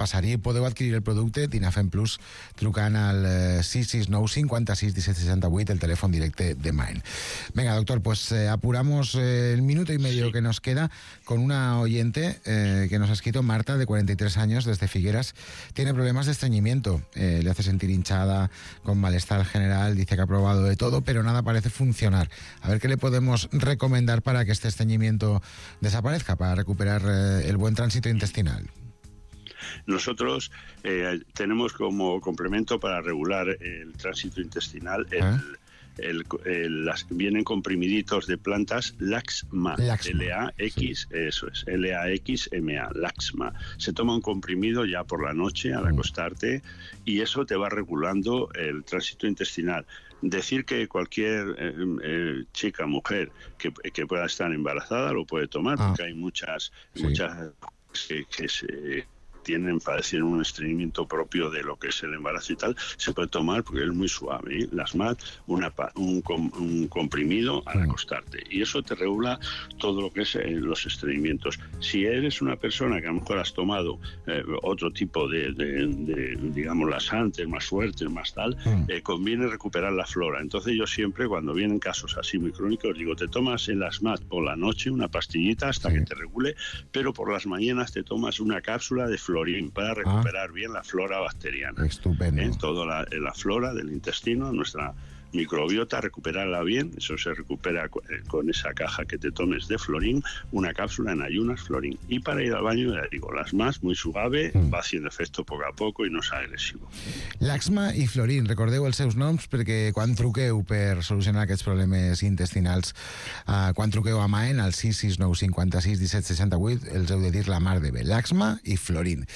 Speaker 7: passar. I podeu adquirir el producte Dinafen Plus trucant al 669 56 17 68, el telèfon directe de Maen. Venga, doctor, pues apuramos el minuto y medio que nos queda con una oyente que nos ha escrito, Marta, de 43 años, desde Figueras. Tiene problemas de estreñimiento, le hace sentir hinchada, con malestar general, dice que ha probado de todo, pero nada parece funcionar. A ver qué le podemos recomendar para que este estreñimiento desaparezca, para recuperar el buen tránsito intestinal.
Speaker 12: Nosotros tenemos como complemento para regular el tránsito intestinal vienen comprimiditos de plantas Laxma, L-A-X, eso es, L-A-X-M-A, Laxma. Se toma un comprimido ya por la noche al acostarte y eso te va regulando el tránsito intestinal. Decir que cualquier chica, mujer que pueda estar embarazada lo puede tomar, porque hay muchas que se padecen un estreñimiento propio de lo que es el embarazo y tal, se puede tomar porque es muy suave. Las MAD, un comprimido al acostarte. Y eso te regula todo lo que es los estreñimientos. Si eres una persona que a lo mejor has tomado otro tipo de digamos, laxantes más fuertes, más tal, conviene recuperar la flora. Entonces yo siempre, cuando vienen casos así muy crónicos, digo, te tomas en las MAD por la noche una pastillita hasta que te regule, pero por las mañanas te tomas una cápsula de florín para recuperar bien la flora bacteriana.
Speaker 7: Estupendo.
Speaker 12: Toda la flora del intestino, nuestra microbiota, recuperarla bien. Eso se recupera con esa caja que te tomes de florín, una cápsula en ayunas, florín. Y para ir al baño, ya digo, las más, muy suave, va haciendo efecto poco a poco i no és agressiu.
Speaker 7: Laxma i florín, recordeu els seus noms perquè quan truqueu per solucionar aquests problemes intestinals, quan truqueu a Maen al 669 56 17 68, els heu de dir la mar de bé. Laxma i florín.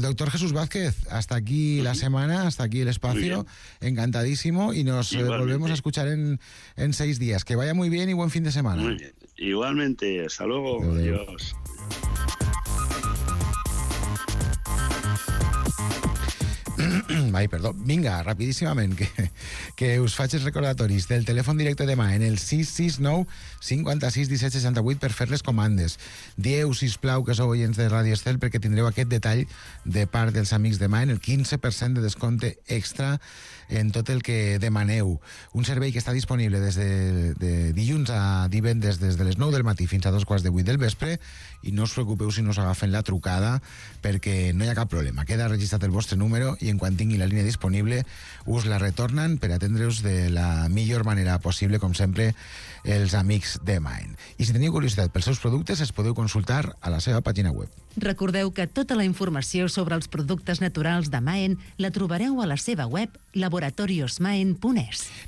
Speaker 7: Doctor Jesús Vázquez, hasta aquí la semana, hasta aquí el espacio, encantadísimo, y nos volvemos a escuchar en 6 días. Que vaya muy bien y buen fin de semana.
Speaker 12: Muy bien. Igualmente, hasta luego. Adiós.
Speaker 7: Ai, perdó. Vinga, rapidíssimament, que us faig els recordatoris del telèfon directe de Maen, el 669 56 17 68, per fer les comandes. Dieu, sisplau, que sou oients de Ràdio Estel, perquè tindreu aquest detall de part dels amics de Maen, el 15% de descompte extra en tot el que demaneu. Un servei que està disponible des de dilluns a divendres, des de les 9 del matí fins a 2:15 del vespre, i no us preocupeu si no us agafen la trucada, perquè no hi ha cap problema. Queda registrat el vostre número i en quan tingui la línia disponible us la retornen per atendre'us de la millor manera possible, com sempre, els amics de Maen. I si teniu curiositat pels seus productes, es podeu consultar a la seva pàgina web.
Speaker 9: Recordeu que tota la informació sobre els productes naturals de Maen la trobareu a la seva web laboratoriosmaen.es.